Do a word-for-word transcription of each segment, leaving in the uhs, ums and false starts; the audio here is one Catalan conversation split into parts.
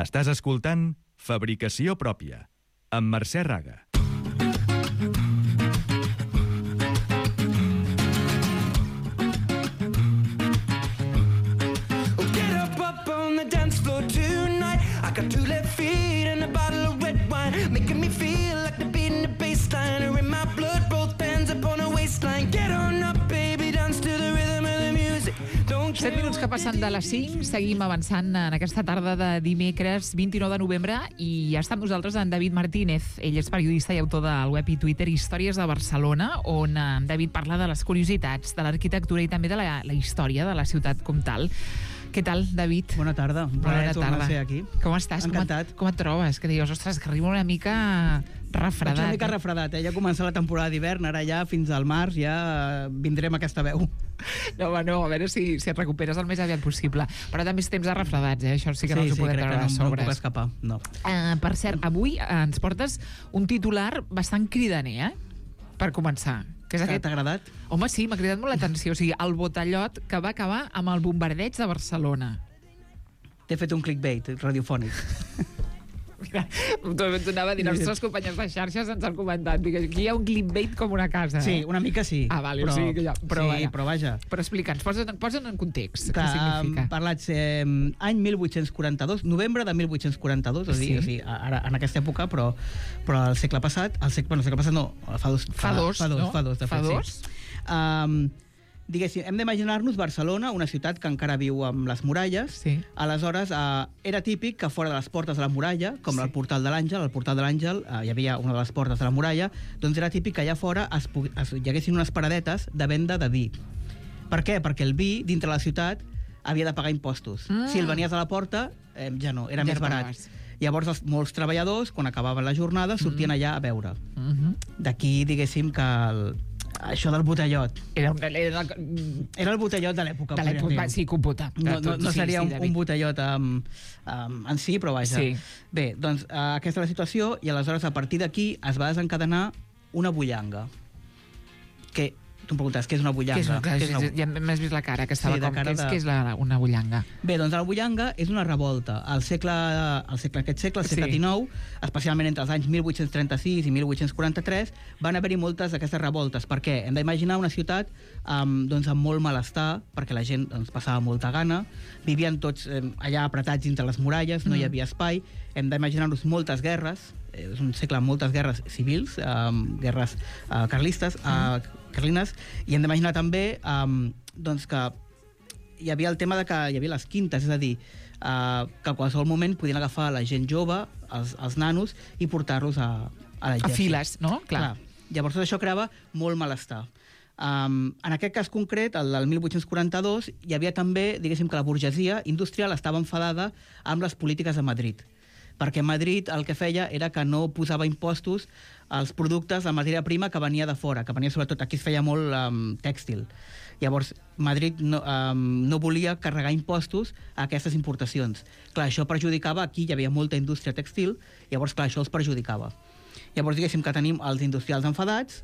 Estàs escoltant Fabricació Pròpia, amb Mercè Raga. Get up up on the dance floor tonight. I got two left feet and a bottle of red wine, making me feel like the beat in the bassline are in my blood, both hands up on a waistline. Get on up, baby, dance to the rhythm of the music. set minuts que passen de les cinc, seguim avançant en aquesta tarda de dimecres vint-i-nou de novembre i ja està amb nosaltres en David Martínez. Ell és periodista i autor del web i Twitter Històries de Barcelona, on en David parla de les curiositats, de l'arquitectura i també de la, la història de la ciutat com tal. Què tal, David? Bona tarda, un plaer tornar a ser aquí. Com estàs? Encantat. Com et, com et trobes? Que dius, ostres, que arriba una mica refredat. Vaig una mica refredat, eh? Ja comença la temporada d'hivern, ara ja fins al març ja vindrem a aquesta veu. No, home, no, a veure si, si et recuperes el més aviat possible. Però també és temps de refredats, eh? Això sí que sí, no ens ho sí, podem treure de sobres. Sí, sí, crec que no, no puc escapar, no. Uh, per cert, avui ens portes un titular bastant cridaner, eh? Per començar. Que és aquest... T'ha agradat? Home, sí, m'ha cridat molt l'atenció. O sigui, el botellot que va acabar amb el bombardeig de Barcelona. T'he fet un clickbait radiofònic. Mira, t'ho anava a dir, els nostres companys de xarxes ens han comentat. Dic, aquí hi ha un clickbait com una casa. Eh? Sí, una mica sí. Ah, vale, però, o sigui que ja... Però, sí, vaja. però vaja. Però explica'ns, posa'n posa en context. Clar, què significa? Parlats eh, any mil vuit-cents quaranta-dos, novembre de mil vuit-cents quaranta-dos, és a dir, Sí. o sigui, ara, en aquesta època, però, però al segle passat, al segle, bueno, al segle passat no, fa dos, Fa dos, fa dos, no? fa dos, de Fa fet, dos? Sí. Um, diguéssim, hem d'imaginar-nos Barcelona, una ciutat que encara viu amb les muralles. Sí. Aleshores, eh, era típic que fora de les portes de la muralla, com Sí. el portal de l'Àngel, al portal de l'Àngel eh, hi havia una de les portes de la muralla, doncs era típic que allà fora es, es, hi haguessin unes paradetes de venda de vi. Per què? Perquè el vi, dintre la ciutat, havia de pagar impostos. Mm. Si el venies a la porta, eh, ja no, era Ja més no barat. pagaves. Llavors, els, molts treballadors, quan acabaven la jornada, sortien Mm. allà a beure. Uh-huh. D'aquí, diguéssim, que el, això del botellot. Era, un- era, Era el botellot de l'època. de podríem l'època, dir. sí, computa. No, no, no Sí, seria sí, un, David. un botellot um, um, en si, però vaja. Sí. Bé, doncs uh, aquesta és la situació i aleshores a partir d'aquí es va desencadenar una bullanga. Que, tu em preguntes, què és una bullanga? Què és, una, Què és una... ja m'has vist la cara, que estava Sí, de com... cara Què és, de- què és la, una bullanga? Bé, doncs la bullanga és una revolta. Al segle, al segle aquest segle, al segle Sí. dinou, especialment entre els anys mil vuit-cents trenta-sis i mil vuit-cents quaranta-tres, van haver-hi moltes d'aquestes revoltes. Per què? Hem d'imaginar una ciutat amb, doncs, amb molt malestar, perquè la gent doncs, passava molta gana, vivien tots eh, allà apretats dintre les muralles, no Mm. hi havia espai, hem d'imaginar-nos moltes guerres, eh, és un segle amb moltes guerres civils, eh, guerres eh, carlistes, eh, carlines, i hem d'imaginar també eh, doncs que hi havia el tema de que hi havia les quintes, és a dir, eh, que a qualsevol moment podien agafar la gent jove, els, els nanos, i portar-los a, a A l'exèrcit. files, no? Clar. Clar. Llavors tot això creava molt malestar. Um, en aquest cas concret, el del mil vuit-cents quaranta-dos, hi havia també, diguéssim, que la burgesia industrial estava enfadada amb les polítiques de Madrid, perquè Madrid el que feia era que no posava impostos als productes, la matèria prima que venia de fora, que venia sobretot, aquí es feia molt um, tèxtil. Llavors, Madrid no, um, no volia carregar impostos a aquestes importacions. Clar, això perjudicava, aquí hi havia molta indústria tèxtil, llavors, clar, això els perjudicava. Llavors, diguéssim que tenim els industrials enfadats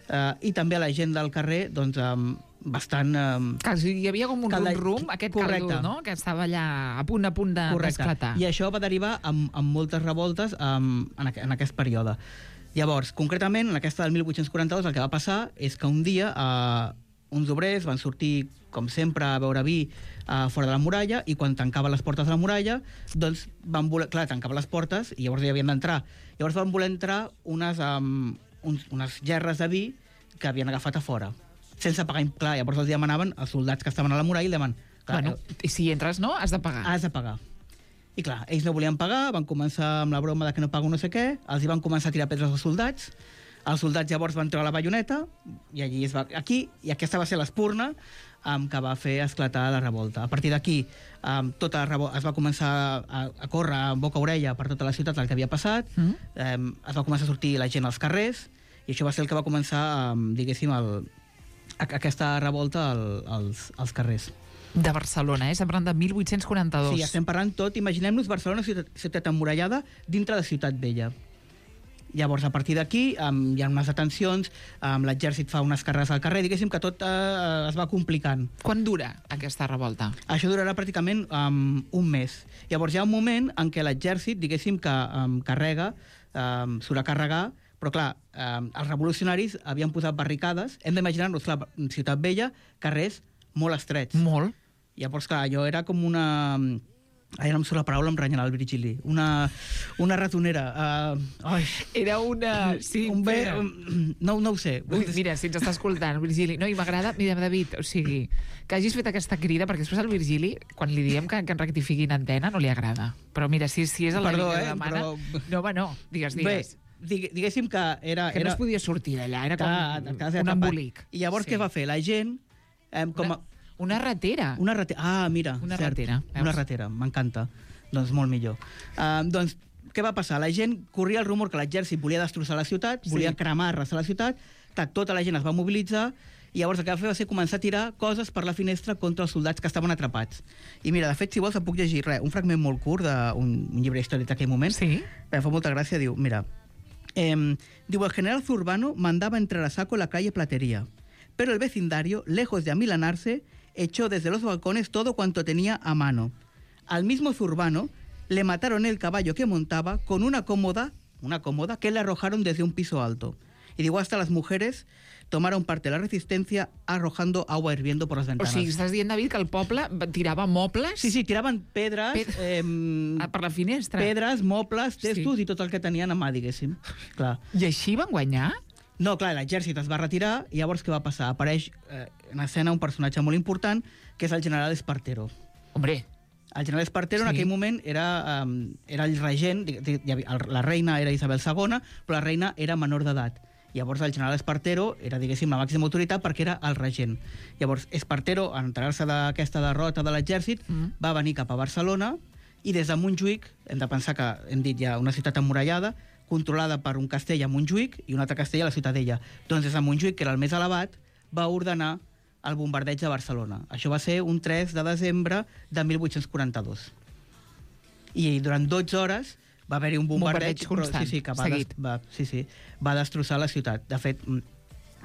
eh, i també la gent del carrer, doncs, um, bastant... Um, Que hi havia com un Calda- rum-rum, aquest Correcte. caldo, no? Que estava allà a punt a punt de- d'esclatar. I això va derivar en, en moltes revoltes um, en, aqu en aquest període. Llavors, concretament, en aquesta del mil vuit-cents quaranta-dos, el que va passar és que un dia eh, uns obrers van sortir, com sempre, a beure vi eh, fora de la muralla, i quan tancaven les portes de la muralla, doncs van voler... Clar, tancaven les portes i llavors hi havien d'entrar. Llavors van voler entrar unes, um, uns, unes gerres de vi que havien agafat a fora, sense pagar... Clar, llavors els demanaven als soldats que estaven a la muralla i demanen... Clar, Bueno, i si entres, no? Has de pagar. has de pagar. I clar, ells no volien pagar, van començar amb la broma de que no pago no sé què, els hi van començar a tirar pedres als soldats, els soldats llavors van treure la baioneta, i allí es va... Aquí, i aquesta va ser l'espurna um, que va fer esclatar la revolta. A partir d'aquí, um, tota la revolta es va començar a, a córrer en boca-orella per tota la ciutat el que havia passat, Mm. um, es va començar a sortir la gent als carrers, i això va ser el que va començar, um, diguéssim, el, a, aquesta revolta al, als, als carrers. De Barcelona, eh? Estem parlant de mil vuit-cents quaranta-dos. Sí, estem parlant tot. Imaginem-nos Barcelona, ciutat, ciutat emmurallada, dintre de Ciutat Vella. Llavors, a partir d'aquí, um, hi ha unes detencions, um, l'exèrcit fa unes carreres al carrer, diguéssim que tot uh, es va complicant. Quan dura aquesta revolta? Això durarà pràcticament um, un mes. Llavors, hi ha un moment en què l'exèrcit, diguéssim, que um, carrega, um, surt a carregar, però clar, um, els revolucionaris havien posat barricades, hem d'imaginar-nos, clar, Ciutat Vella, carrers molt estrets. Molt. Llavors, clar, allò era com una... Ara no em surt la paraula, em renyarà el Virgili. Una, una ratonera. Uh, ai. Era una... Sí, un bé, era... un... No, no ho sé. Ui, mira, si ens està escoltant, Virgili. No, i m'agrada, mira, David, o sigui, que hagis fet aquesta crida, perquè després al Virgili, quan li diem que, que en rectifiqui en antena, no li agrada. Però mira, si, si és el Perdó, que eh, demana... però... No, home, no, digues, digues. Bé, digue, diguéssim que era... Que era... no es podia sortir d'allà, era com que, que un embolic. I llavors Sí. què va fer? La gent... Eh, com a... Una, una ratera. Una ratera. Ah, mira, Una cert. ratera, veus? Una ratera, m'encanta. Doncs molt millor. Uh, doncs, què va passar? La gent corria el rumor que l'exèrcit volia destrossar la ciutat, Sí. volia cremar, arrasar la ciutat, que tota la gent es va mobilitzar, i llavors el que va fer va ser començar a tirar coses per la finestra contra els soldats que estaven atrapats. I mira, de fet, si vols, et puc llegir res, un fragment molt curt d'un un llibre històric d'aquell moment. Sí. Me fa molta gràcia, diu, mira, eh, diu, el general Zurbano mandaba entrar a saco la calle Platería, pero el vecindario, lejos de amilanarse, echó desde los balcones todo cuanto tenía a mano. Al mismo Zurbano le mataron el caballo que montaba con una cómoda, una cómoda que le arrojaron desde un piso alto. Y digo, hasta las mujeres tomaron parte de la resistencia arrojando agua hirviendo por las O ventanas. sigui, estàs dient, David, que el poble tirava mobles Sí, sí, tiraven pedres, Ped- eh, per la finestra. pedres, mobles, Sí. testos i tot el que tenien a mà, diguéssim. Clar. I així van guanyar? No, clar, l'exèrcit es va retirar i llavors què va passar? Apareix eh, en escena un personatge molt important que és el general Espartero. Hombre, El general Espartero Sí. en aquell moment era, um, era el regent, di- di- hi havia- el- la reina era Isabel segona, però la reina era menor d'edat. Llavors el general Espartero era, diguéssim, la màxima autoritat perquè era el regent. Llavors Espartero, en enterar-se d'aquesta derrota de l'exèrcit, Mm. va venir cap a Barcelona i des de Montjuïc, hem de pensar que hem dit ja una ciutat emmurallada, controlada per un castell a Montjuïc i un altre castell a la Ciutadella. Doncs des de Montjuïc, que era el més elevat, va ordenar el bombardeig de Barcelona. Això va ser un tres de desembre de mil vuit-cents quaranta-dos. I durant dotze hores va haver-hi un bombardeig, Bombardeig constant, però, sí, sí, que va, seguit. des, va, sí, sí, va destrossar la ciutat. De fet, mm,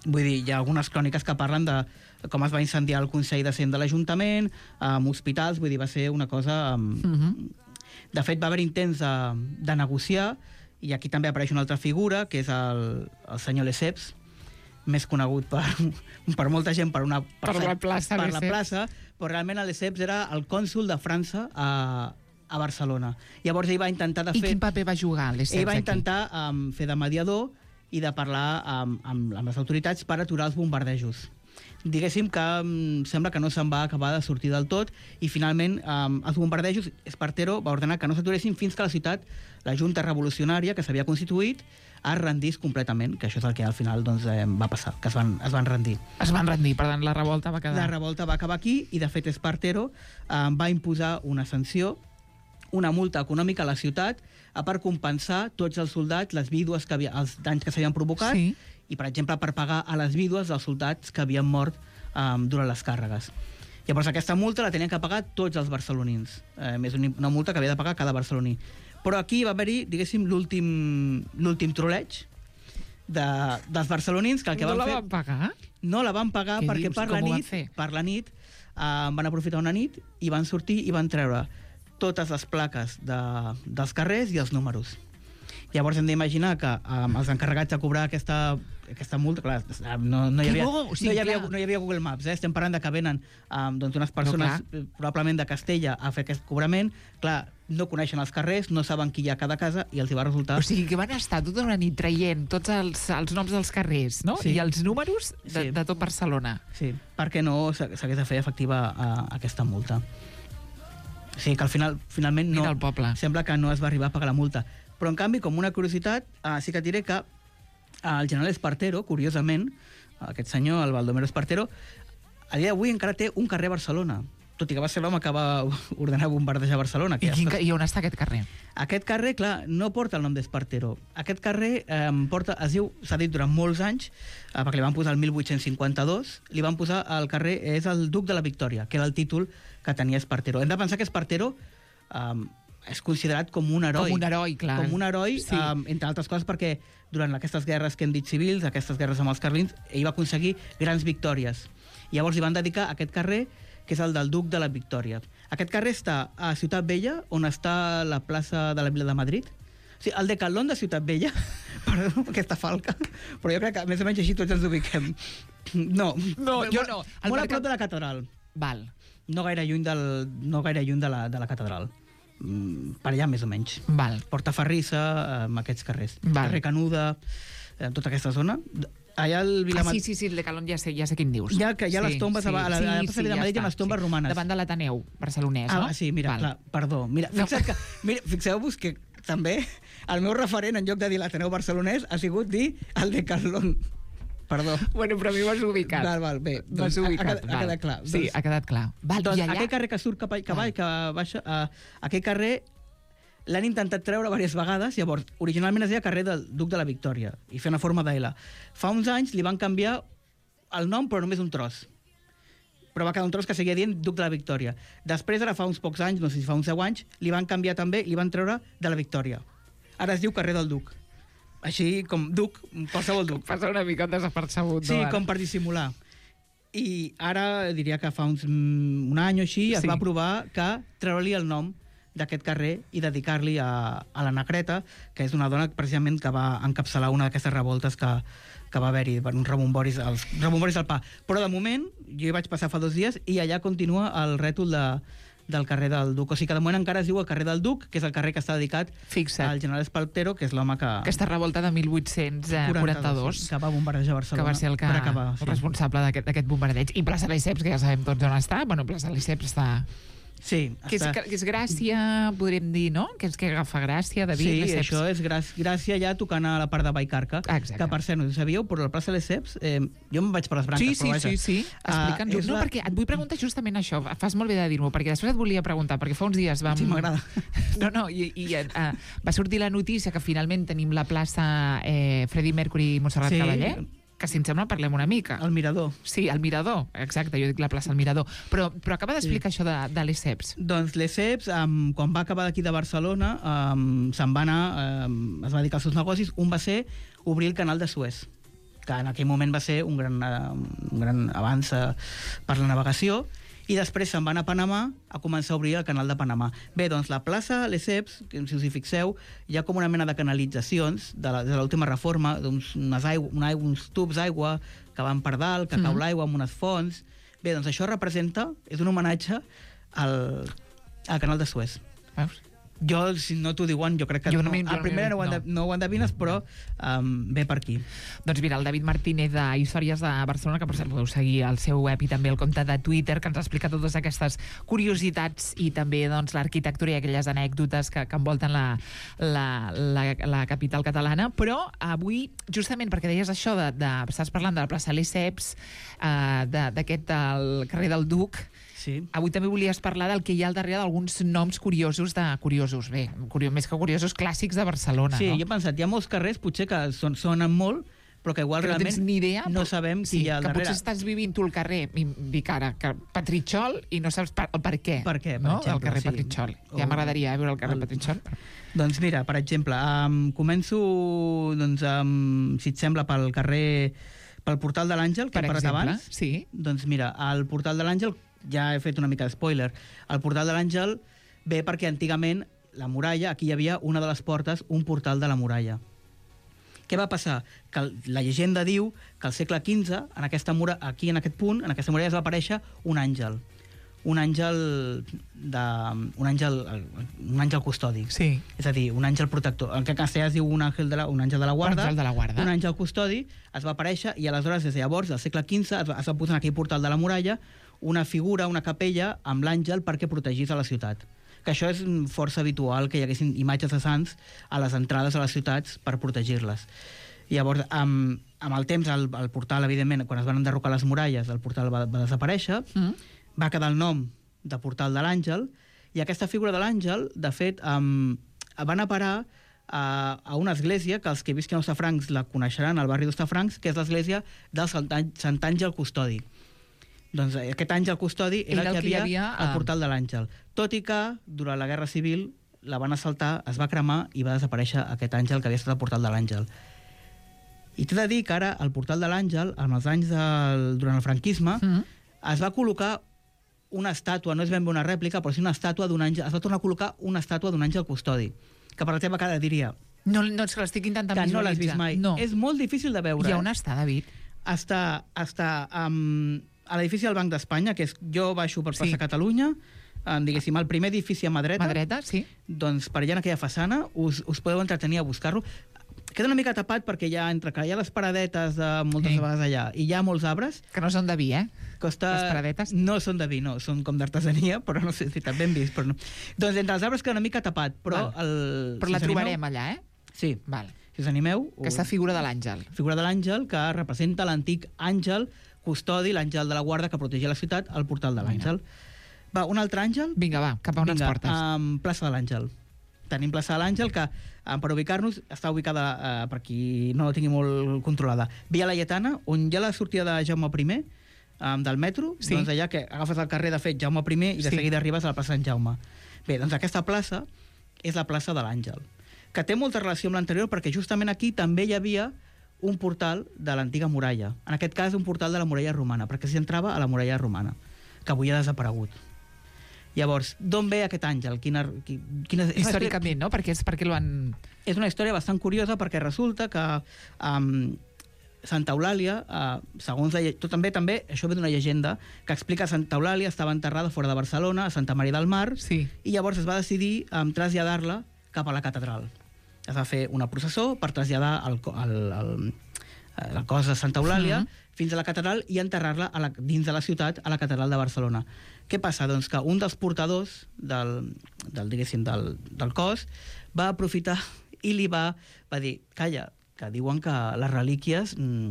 vull dir, hi ha algunes cròniques que parlen de com es va incendiar el Consell de Cent de l'Ajuntament, amb hospitals, vull dir, va ser una cosa... Um, uh -huh. De fet, va haver intents de, de negociar, i aquí també apareix una altra figura, que és el, el senyor Lesseps, més conegut per, per molta gent per una Per la plaça per la Lesseps. plaça, però realment el Lesseps era el cònsol de França a, a Barcelona. Llavors ell va intentar de I fer... quin paper va jugar, Lesseps, Ell va aquí? intentar um, fer de mediador i de parlar amb, amb, amb les autoritats per aturar els bombardejos. Diguéssim que um, sembla que no se'n va acabar de sortir del tot i finalment um, els bombardejos, Espartero va ordenar que no s'aturessin fins que la ciutat, la Junta Revolucionària que s'havia constituït, es rendís completament, que això és el que al final doncs, eh, va passar, que es van, es van rendir. Es van rendir, per tant, la revolta va quedar... La revolta va acabar aquí i, de fet, Espartero eh, va imposar una sanció, una multa econòmica a la ciutat eh, per compensar tots els soldats, les vídues, que havia, els danys que s'havien provocat, Sí. i, per exemple, per pagar a les vídues dels soldats que havien mort eh, durant les càrregues. Llavors, aquesta multa la tenien que pagar tots els barcelonins. Eh, és una multa que havia de pagar cada barceloní. Però aquí va haver-hi, diguéssim, l'últim l'últim troleig de, dels barcelonins, que el que no van la fer... van pagar? No la van pagar Què perquè dius? per la, Com ho van nit, fer? per la nit eh, van aprofitar una nit i van sortir i van treure totes les plaques de, dels carrers i els números. Llavors hem d'imaginar que um, els encarregats de cobrar aquesta, aquesta multa, clar, no, no, hi Que havia, bo, o sigui, no, hi havia, clar. no hi havia Google Maps, eh? Estem parlant de que venen um, doncs unes persones, clar. eh, probablement de Castella, a fer aquest cobrament. Clar, no coneixen els carrers, no saben qui hi ha a cada casa i els hi va resultar... O sigui, que van estar tota una nit traient tots els, els noms dels carrers, no? Sí. I els números de, Sí. de tot Barcelona. Sí, perquè no s'hagués de fer efectiva uh, aquesta multa. O sigui que al final, finalment no... Mira el poble. Sembla que no es va arribar a pagar la multa. Però, en canvi, com una curiositat, uh, sí que et diré que uh, el general Espartero, curiosament, aquest senyor, el Baldomero Espartero, a dia d'avui encara té un carrer a Barcelona, tot i que va ser l'home que va ordenar bombardejar Barcelona. Que I, ja quin, està- ca- I on està aquest carrer? Aquest carrer, clar, no porta el nom d'Espartero. Aquest carrer eh, porta, es diu, s'ha dit durant molts anys, eh, perquè li van posar el mil vuit-cents cinquanta-dos, li van posar el carrer, és el Duc de la Victòria, que era el títol que tenia Espartero. Hem de pensar que Espartero, eh, és considerat com un heroi. Com un heroi, clar. Com un heroi, Sí. um, entre altres coses perquè durant aquestes guerres que hem dit civils, aquestes guerres amb els carlins, ell va aconseguir grans victòries. I llavors li van dedicar aquest carrer, que és el del Duc de la Victòria. Aquest carrer està a Ciutat Vella, on està la plaça de la Vila de Madrid. O sigui, el Decathlon de Ciutat Vella, perdó, aquesta falca, però jo crec que més o menys així tots ens ubiquem. No, No, jo no. El Molt a mercat- prop de la catedral. Val, No gaire lluny, del, no gaire lluny de, la, de la catedral. Mm, per allà, més o menys. val. Portaferrissa, amb aquests carrers. Val. Carrer Canuda, eh, tota aquesta zona. Allà al Ah, Vilamad... sí, sí, sí, el de Calon ja sé, ja sé quin dius. Ja que hi ha les tombes a la- a la- a la plaça de Vilamadrid hi ha està, les tombes romanes. Davant de l'Ateneu barcelonès, no? Ah, sí, mira, Val. clar, perdó. Mira, No. fixa't que, mira, fixeu-vos que també el meu referent, en lloc de dir l'Ateneu barcelonès, ha sigut dir el Decathlon. Perdó. Bueno, però a mi m'has ubicat. Val, val, bé. M'has doncs ha- ubicat, ha, quedat- ha val. quedat clar. Sí, ha quedat clar. Val, Doncs i allà... aquell carrer que surt cap, a, que, Val. que baixa, uh, aquell carrer l'han intentat treure diverses vegades, llavors, originalment es deia carrer del Duc de la Victòria, i fer una forma de L. Fa uns anys li van canviar el nom, però només un tros. Però va quedar un tros que seguia dient Duc de la Victòria. Després, ara fa uns pocs anys, no sé si fa uns deu anys, li van canviar també, li van treure de la Victòria. Ara es diu carrer del Duc. Així com Duc, qualsevol Duc. Passa una mica desapercebut. Sí, no, ara? com per dissimular. I ara diria que fa uns, mm, un any o així es Sí. va aprovar que treure-li el nom d'aquest carrer i dedicar-li a, a la Negreta, que és una dona precisament que va encapçalar una d'aquestes revoltes que, que va haver-hi, uns rebomboris, els rebomboris del pa. Però de moment, jo hi vaig passar fa dos dies i allà continua el rètol de, del carrer del Duc. O sigui que de moment encara es diu el carrer del Duc, que és el carrer que està dedicat Fixa't. al general Espaltero, que és l'home que... Aquesta revolta de mil vuit-cents quaranta-dos, que va bombardejar que Barcelona va ser el, que, per acabar. el responsable d'aquest d'aquest bombardeig. I plaça Lesseps, que ja sabem tots on està. Bueno, plaça Lesseps està... Sí, Que és, està... que és Gràcia, podríem dir, no? Que és que agafa Gràcia, David, Sí, Lesseps. això és gràcia, gràcia ja tocant a la part de Vallcarca. Exacte. Que, per cert, no ho sabíeu, però la plaça Lesseps, eh, jo me'n vaig per les branques, Sí, sí, però vaja. sí, sí. Explica'ns-ho. Ah, és no, la- perquè et vull preguntar justament això. Fas molt bé de dir-m'ho, perquè després et volia preguntar, perquè fa uns dies vam... Sí, m'agrada. No, no, i, i uh, va sortir la notícia que finalment tenim la plaça eh, Freddie Mercury i Montserrat Sí. Cavaller, que si em sembla parlem una mica. El mirador. Sí, el Mirador, exacte, jo dic la plaça del Mirador. Però, però acaba d'explicar sí. això de, de Lesseps. Doncs Lesseps, um, quan va acabar d'aquí de Barcelona, um, se'n va anar, um, es va dedicar als seus negocis. Un va ser obrir el canal de Suez, que en aquell moment va ser un gran, uh, un gran avanç uh, per la navegació, i després se'n va anar a Panamà a començar a obrir el canal de Panamà. Bé, doncs la plaça Lesseps, que si us hi fixeu, hi ha com una mena de canalitzacions de la- de l'última reforma, d'uns unes aigua, una aigua, uns tubs d'aigua que van per dalt, que Mhm. cau l'aigua amb unes fonts. Bé, doncs això representa, és un homenatge al, al canal de Suez. Veus? Jo, si no t'ho diuen, jo crec que Jo no no, m'hi- jo a no primera m'hi- no, ho no. endev- no ho endevines, però um, ve per aquí. Doncs mira, el David Martínez de Històries de Barcelona, que per cert podeu seguir al seu web i també el compte de Twitter, que ens explica totes aquestes curiositats i també doncs, l'arquitectura i aquelles anècdotes que, que envolten la, la, la, la capital catalana. Però avui, justament perquè deies això, de, de, estàs parlant de la plaça Lesseps, eh, de- d'aquest el carrer del Duc, Sí. avui també volies parlar del que hi ha al darrere d'alguns noms curiosos, de curiosos, bé, curio, més que curiosos, clàssics de Barcelona, Sí, no? jo he pensat, hi ha molts carrers, potser que son, sonen molt, però que igual que no realment tens ni idea, no però- sabem sí, qui hi ha al que darrere. potser estàs vivint tu al carrer, i dic ara, que Petritxol, i no saps per, el per què. Per què, per no? exemple, el carrer sí. Petritxol. Ja O- m'agradaria eh, veure el carrer el- Petritxol. Doncs mira, per exemple, um, començo, doncs, um, si et sembla, pel carrer, pel Portal de l'Àngel, que Per he parlat exemple, abans. sí. Doncs mira, al Portal de l'Àngel, ja he fet una mica de spoiler, el Portal de l'Àngel ve perquè antigament la muralla, aquí hi havia una de les portes, un portal de la muralla. Què va passar? Que el- la llegenda diu que al segle quinze, en aquesta mura, aquí en aquest punt, en aquesta muralla es va aparèixer un àngel. Un àngel de, un àngel, un àngel custodi. Sí. És a dir, un àngel protector. En aquest castellà es diu un àngel de la, un àngel de la guarda. àngel de la guarda. Un àngel custodi es va aparèixer i aleshores, des de llavors, del segle quinze, es va, es va posar en aquell portal de la muralla una figura, una capella amb l'àngel perquè protegís a la ciutat. Que això és força habitual, que hi haguessin imatges de sants a les entrades a les ciutats per protegir-les. Llavors, amb, amb el temps, el, el portal, evidentment, quan es van enderrocar les muralles, el portal va, va desaparèixer, Mm. va quedar el nom de Portal de l'Àngel, i aquesta figura de l'Àngel, de fet, um, van a parar a, a una església que els que visquin a Hostafrancs la coneixeran, al barri d'Hostafrancs, que és l'església del Sant Àn- Sant Àngel Custodi. Doncs eh, aquest àngel custodi era, Era el que hi havia, havia, al eh, Portal de l'Àngel. Tot i que, durant la Guerra Civil, la van assaltar, es va cremar i va desaparèixer aquest àngel que havia estat al portal de l'Àngel. I t'he de dir que ara, al portal de l'Àngel, en els anys del, durant el franquisme, mm-hmm. es va col·locar una estàtua, no és ben bé una rèplica, però sí una estàtua d'un àngel, es va tornar a col·locar una estàtua d'un àngel custodi, que per la teva cara diria... No, no és que l'estic intentant que visualitzar. no l'has vist mai. No. És molt difícil de veure. I on està, David? Està, està um, a l'edifici del Banc d'Espanya, que és, jo baixo per plaça Sí. Catalunya, um, diguéssim, el primer edifici a mà dreta. Mà dreta, sí. Doncs per allà en aquella façana us, us podeu entretenir a buscar-lo. Queda una mica tapat perquè hi ha, entre que hi ha les paradetes de moltes Sí. vegades allà i hi ha molts arbres. Que no són de vi, eh? Costa... Les paradetes? No són de vi, no, són com d'artesania, però no sé si també hem vist. Però no. Doncs entre els arbres queda una mica tapat, però... Val. El, Però si la us animeu- trobarem allà, eh? Sí, Val. si us animeu... Aquesta figura de l'àngel. figura de l'àngel que representa l'antic àngel custodi, l'àngel de la guarda que protegia la ciutat, al portal de l'àngel. Va, un altre àngel? Vinga, va, cap a on ens Vinga, portes? Um, plaça de l'Àngel. Tenim plaça de l'Àngel, que um, per ubicar-nos està ubicada, uh, per qui no la tingui molt controlada, Via Laietana, on hi ha la sortida de Jaume I, um, del metro, Sí. doncs allà que agafes el carrer, de fet, Jaume I, i de Sí. seguida arribes a la plaça Sant Jaume. Bé, doncs aquesta plaça és la plaça de l'Àngel, que té molta relació amb l'anterior, perquè justament aquí també hi havia un portal de l'antiga muralla. En aquest cas, un portal de la muralla romana, perquè s'hi entrava a la muralla romana, que avui ha desaparegut. Llavors, d'on ve aquest àngel? Quina, quina, és una Històricament, no? Perquè és perquè l'han... és una història bastant curiosa perquè resulta que um, Santa Eulàlia, uh, segons la, tot també, també, això ve d'una llegenda, que explica que Santa Eulàlia estava enterrada fora de Barcelona, a Santa Maria del Mar, Sí. i llavors es va decidir um, traslladar-la cap a la catedral. Es va fer una processó per traslladar el, el, el, el cos de Santa Eulàlia Mhm. fins a la catedral i enterrar-la a la, dins de la ciutat, a la catedral de Barcelona. Què passa? Doncs que un dels portadors del, del, diguéssim, del, del cos va aprofitar i li va, va dir, calla, que diuen que les relíquies mm,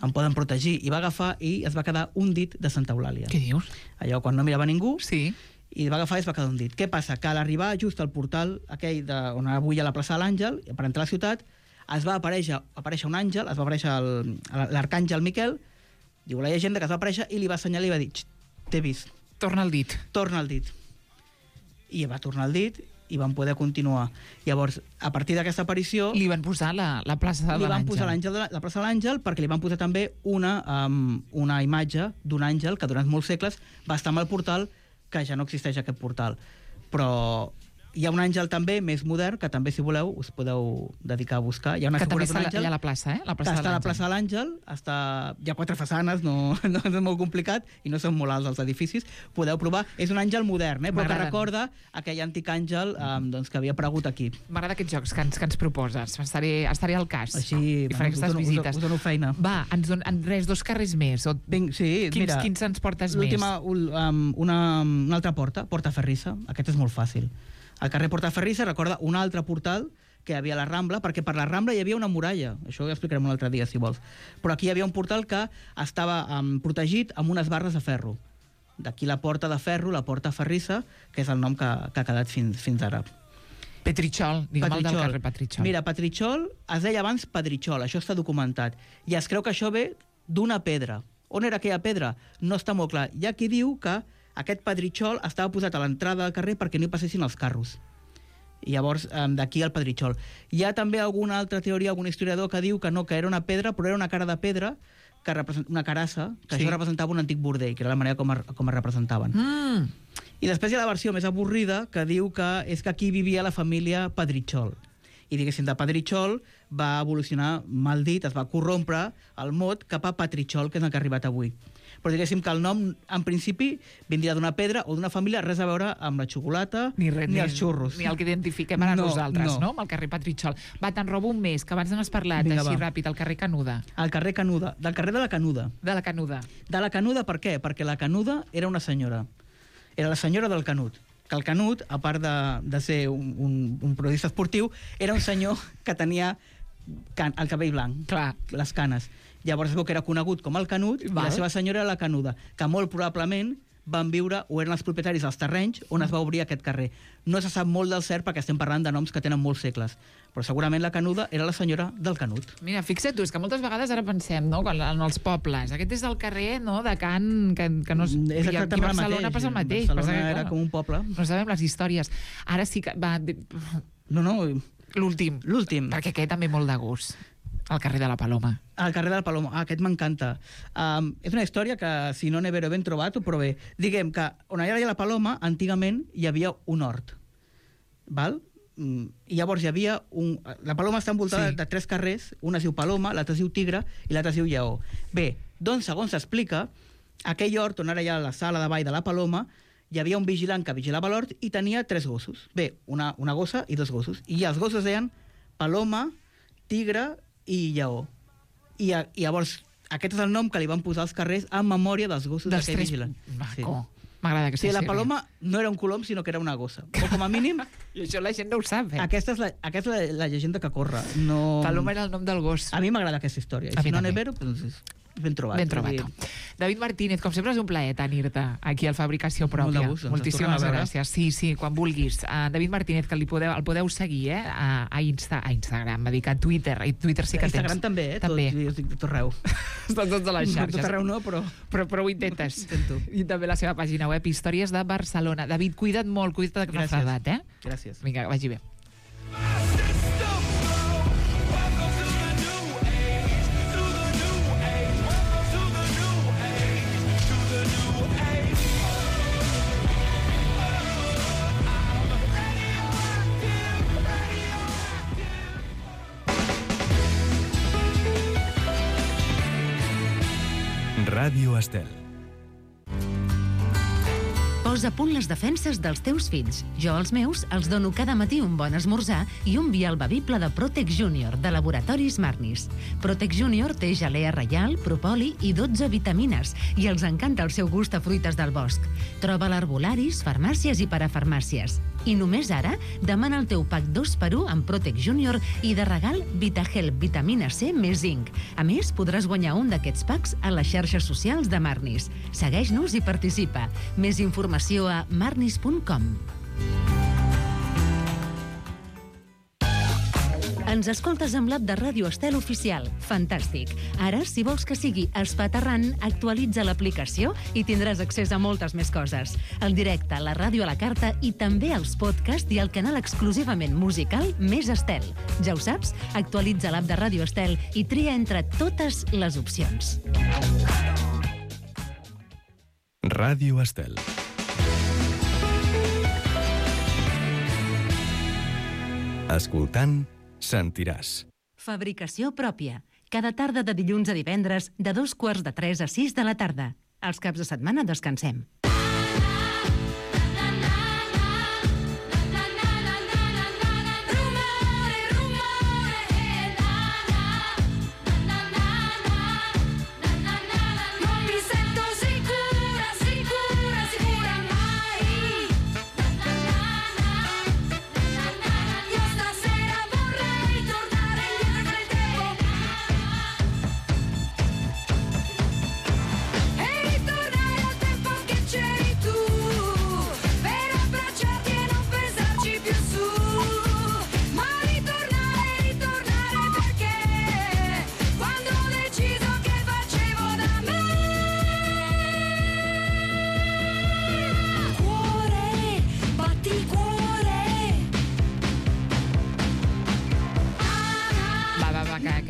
em poden protegir. I va agafar i es va quedar un dit de Santa Eulàlia. Què dius? Allò quan no mirava ningú, Sí. i va agafar i es va quedar un dit. Què passa? Que a l'arribar just al portal aquell de, on avui hi ha la plaça de l'Àngel, per entrar a la ciutat, es va aparèixer, aparèixer un àngel, es va aparèixer el- l'arcàngel Miquel, diu la llegenda que es va aparèixer i li va assenyalar i va dir, "Xt, t'he vist, Torna el dit. torna el dit." I va tornar el dit i van poder continuar. Llavors, a partir d'aquesta aparició... Li van posar la, la plaça de li van l'àngel. posar l'àngel de la, la plaça de l'Àngel perquè li van posar també una, um, una imatge d'un àngel que durant molts segles va estar amb el portal, que ja no existeix aquest portal. Però hi ha un àngel també més modern, que també, si voleu, us podeu dedicar a buscar. Hi ha una Que figura també d'un està àngel. allà a la plaça, eh? La plaça Està de a la l'Àngel. plaça de l'Àngel, està... hi ha quatre façanes, no, no és molt complicat, i no són molt alts els edificis. Podeu provar. És un àngel modern, eh? Però que M'agraden. recorda aquell antic àngel um, doncs, que havia aparegut aquí. M'agrada aquests jocs que ens, que ens proposes. Estaré, estaré al cas. Així, I faré us aquestes dono- us visites. dono- us dono feina. Va, ens don, en res, dos carrers més. O... Vinc, sí, Quins, mira, quins ens portes més? l'última, ul- um, una, una altra porta, Porta Ferrissa. Aquest és molt fàcil. Al carrer Porta Ferrissa recorda un altre portal que hi havia a la Rambla, perquè per la Rambla hi havia una muralla. Això ho explicarem un altre dia, si vols. Però aquí hi havia un portal que estava um, protegit amb unes barres de ferro. D'aquí la porta de ferro, la Porta Ferrissa, que és el nom que, que ha quedat fins, fins ara. Petritxol, digue'm el del carrer Petritxol. Mira, Petritxol es deia abans Pedritxol, això està documentat. I es creu que això ve d'una pedra. On era aquella pedra? No està molt clar. Hi ha qui diu que aquest Pedritxol estava posat a l'entrada del carrer perquè no hi passessin els carros. I llavors, eh, d'aquí el Pedritxol. Hi ha també alguna altra teoria, algun historiador que diu que no, que era una pedra, però era una cara de pedra, que represent, una carassa, que Sí. això representava un antic bordell, que era la manera com, es- com es representaven. Mm. I després hi ha la versió més avorrida que diu que és que aquí vivia la família Pedritxol. I diguéssim, de Pedritxol va evolucionar, mal dit, es va corrompre el mot cap a Petritxol, que és el que ha arribat avui. Però diguéssim que el nom, en principi, vindria d'una pedra o d'una família, res a veure amb la xocolata Ni, res, ni els xurros. Ni el que identifiquem ara No, nosaltres, no. no? Amb el carrer Petritxol. Va, te'n robo un més, que abans n'has parlat, Vinga, així va. ràpid, al carrer Canuda. Al carrer Canuda, del carrer de la Canuda. De la Canuda. De la Canuda, per què? Perquè la Canuda era una senyora. Era la senyora del Canut. Que el Canut, a part de, de ser un, un, un periodista esportiu, era un senyor que tenia can, el cabell blanc, Clar. les canes. Llavors es veu que era conegut com el Canut, i Val. la seva senyora era la Canuda, que molt probablement van viure o eren els propietaris dels terrenys on es va obrir aquest carrer. No se sap molt del cert perquè estem parlant de noms que tenen molts segles, però segurament la Canuda era la senyora del Canut. Mira, fixa't tu, és que moltes vegades ara pensem, no?, quan, en els pobles, aquest és el carrer, no?, de Can, que, que no... És exactament el mateix. Barcelona passa el mateix. Barcelona passa que, era com un poble. No sabem les històries. Ara sí que... Va, No, no, l'últim. l'últim. Perquè aquest també molt de gust. El carrer de la Paloma. El carrer de la Paloma. Ah, aquest m'encanta. Um, és una història que, si no n'he ben trobat, ho prové. Diguem que on hi havia la Paloma, antigament hi havia un hort. Val? I llavors hi havia un... La Paloma està envoltada sí. de tres carrers, una es diu Paloma, l'altra es diu Tigre i l'altra es diu Lleó. Bé, doncs, segons s'explica, aquell hort on ara hi ha la sala de ball de la Paloma, hi havia un vigilant que vigilava l'hort i tenia tres gossos. Bé, una, una gossa i dos gossos. I els gossos deien Paloma, Tigre i Lleó. I, I llavors, aquest és el nom que li van posar als carrers en memòria dels gossos d'aquell tres... vigilant. Maco. Sí. M'agrada que sí, la Paloma no era un colom, sinó que era una gossa. O com a mínim... I això la gent no ho sap, eh? Aquesta és la, aquesta és la, la llegenda que corre. No... Paloma era el nom del gos. A mi m'agrada aquesta història. I si no n'he vero, doncs... Ben trobat. Ben trobat. Dir... David Martínez, com sempre és un plaer tenir-te aquí al Fabricació Pròpia. Molt de gust, doncs, moltíssimes gràcies. Sí, sí, quan vulguis. Uh, David Martínez, que li podeu, el podeu seguir eh? a, a, Insta, a Instagram, va dir que a Twitter. I Twitter sí que Instagram tens. també, eh? També. Tot, jo estic tot arreu. Estan tots a les xarxes. Tot arreu no, però... Però, però ho intentes. Intento. I també la seva pàgina web, Històries de Barcelona. David, cuida't molt, cuida't de refredat, eh? Gràcies. Vinga, vagi bé. Ràdio Estel. Posa a punt les defenses dels teus fills. Jo als meus els dono cada matí un bon esmorzar i un vial bevible de Protec Junior, de Laboratoris Marnis. Protec Junior té gelea reial, propoli i dotze vitamines i els encanta el seu gust a fruites del bosc. Troba l'arbolaris, farmàcies i parafarmàcies. I només ara, demana el teu pack dos per u amb Protec Junior i de regal VitaHelp vitamina C més zinc. A més, podràs guanyar un d'aquests packs a les xarxes socials de Marnis. Segueix-nos i participa. Més informació a marnis punt com. Ens escoltes amb l'app de Ràdio Estel Oficial. Fantàstic. Ara, si vols que sigui espaterrant, actualitza l'aplicació i tindràs accés a moltes més coses. El directe, la ràdio a la carta i també els podcasts i el canal exclusivament musical Més Estel. Ja ho saps? Actualitza l'app de Ràdio Estel i tria entre totes les opcions. Ràdio Estel. Escoltant, sentiràs. Fabricació pròpia. Cada tarda de dilluns a divendres, de dos quarts de tres a sis de la tarda. Els caps de setmana descansem.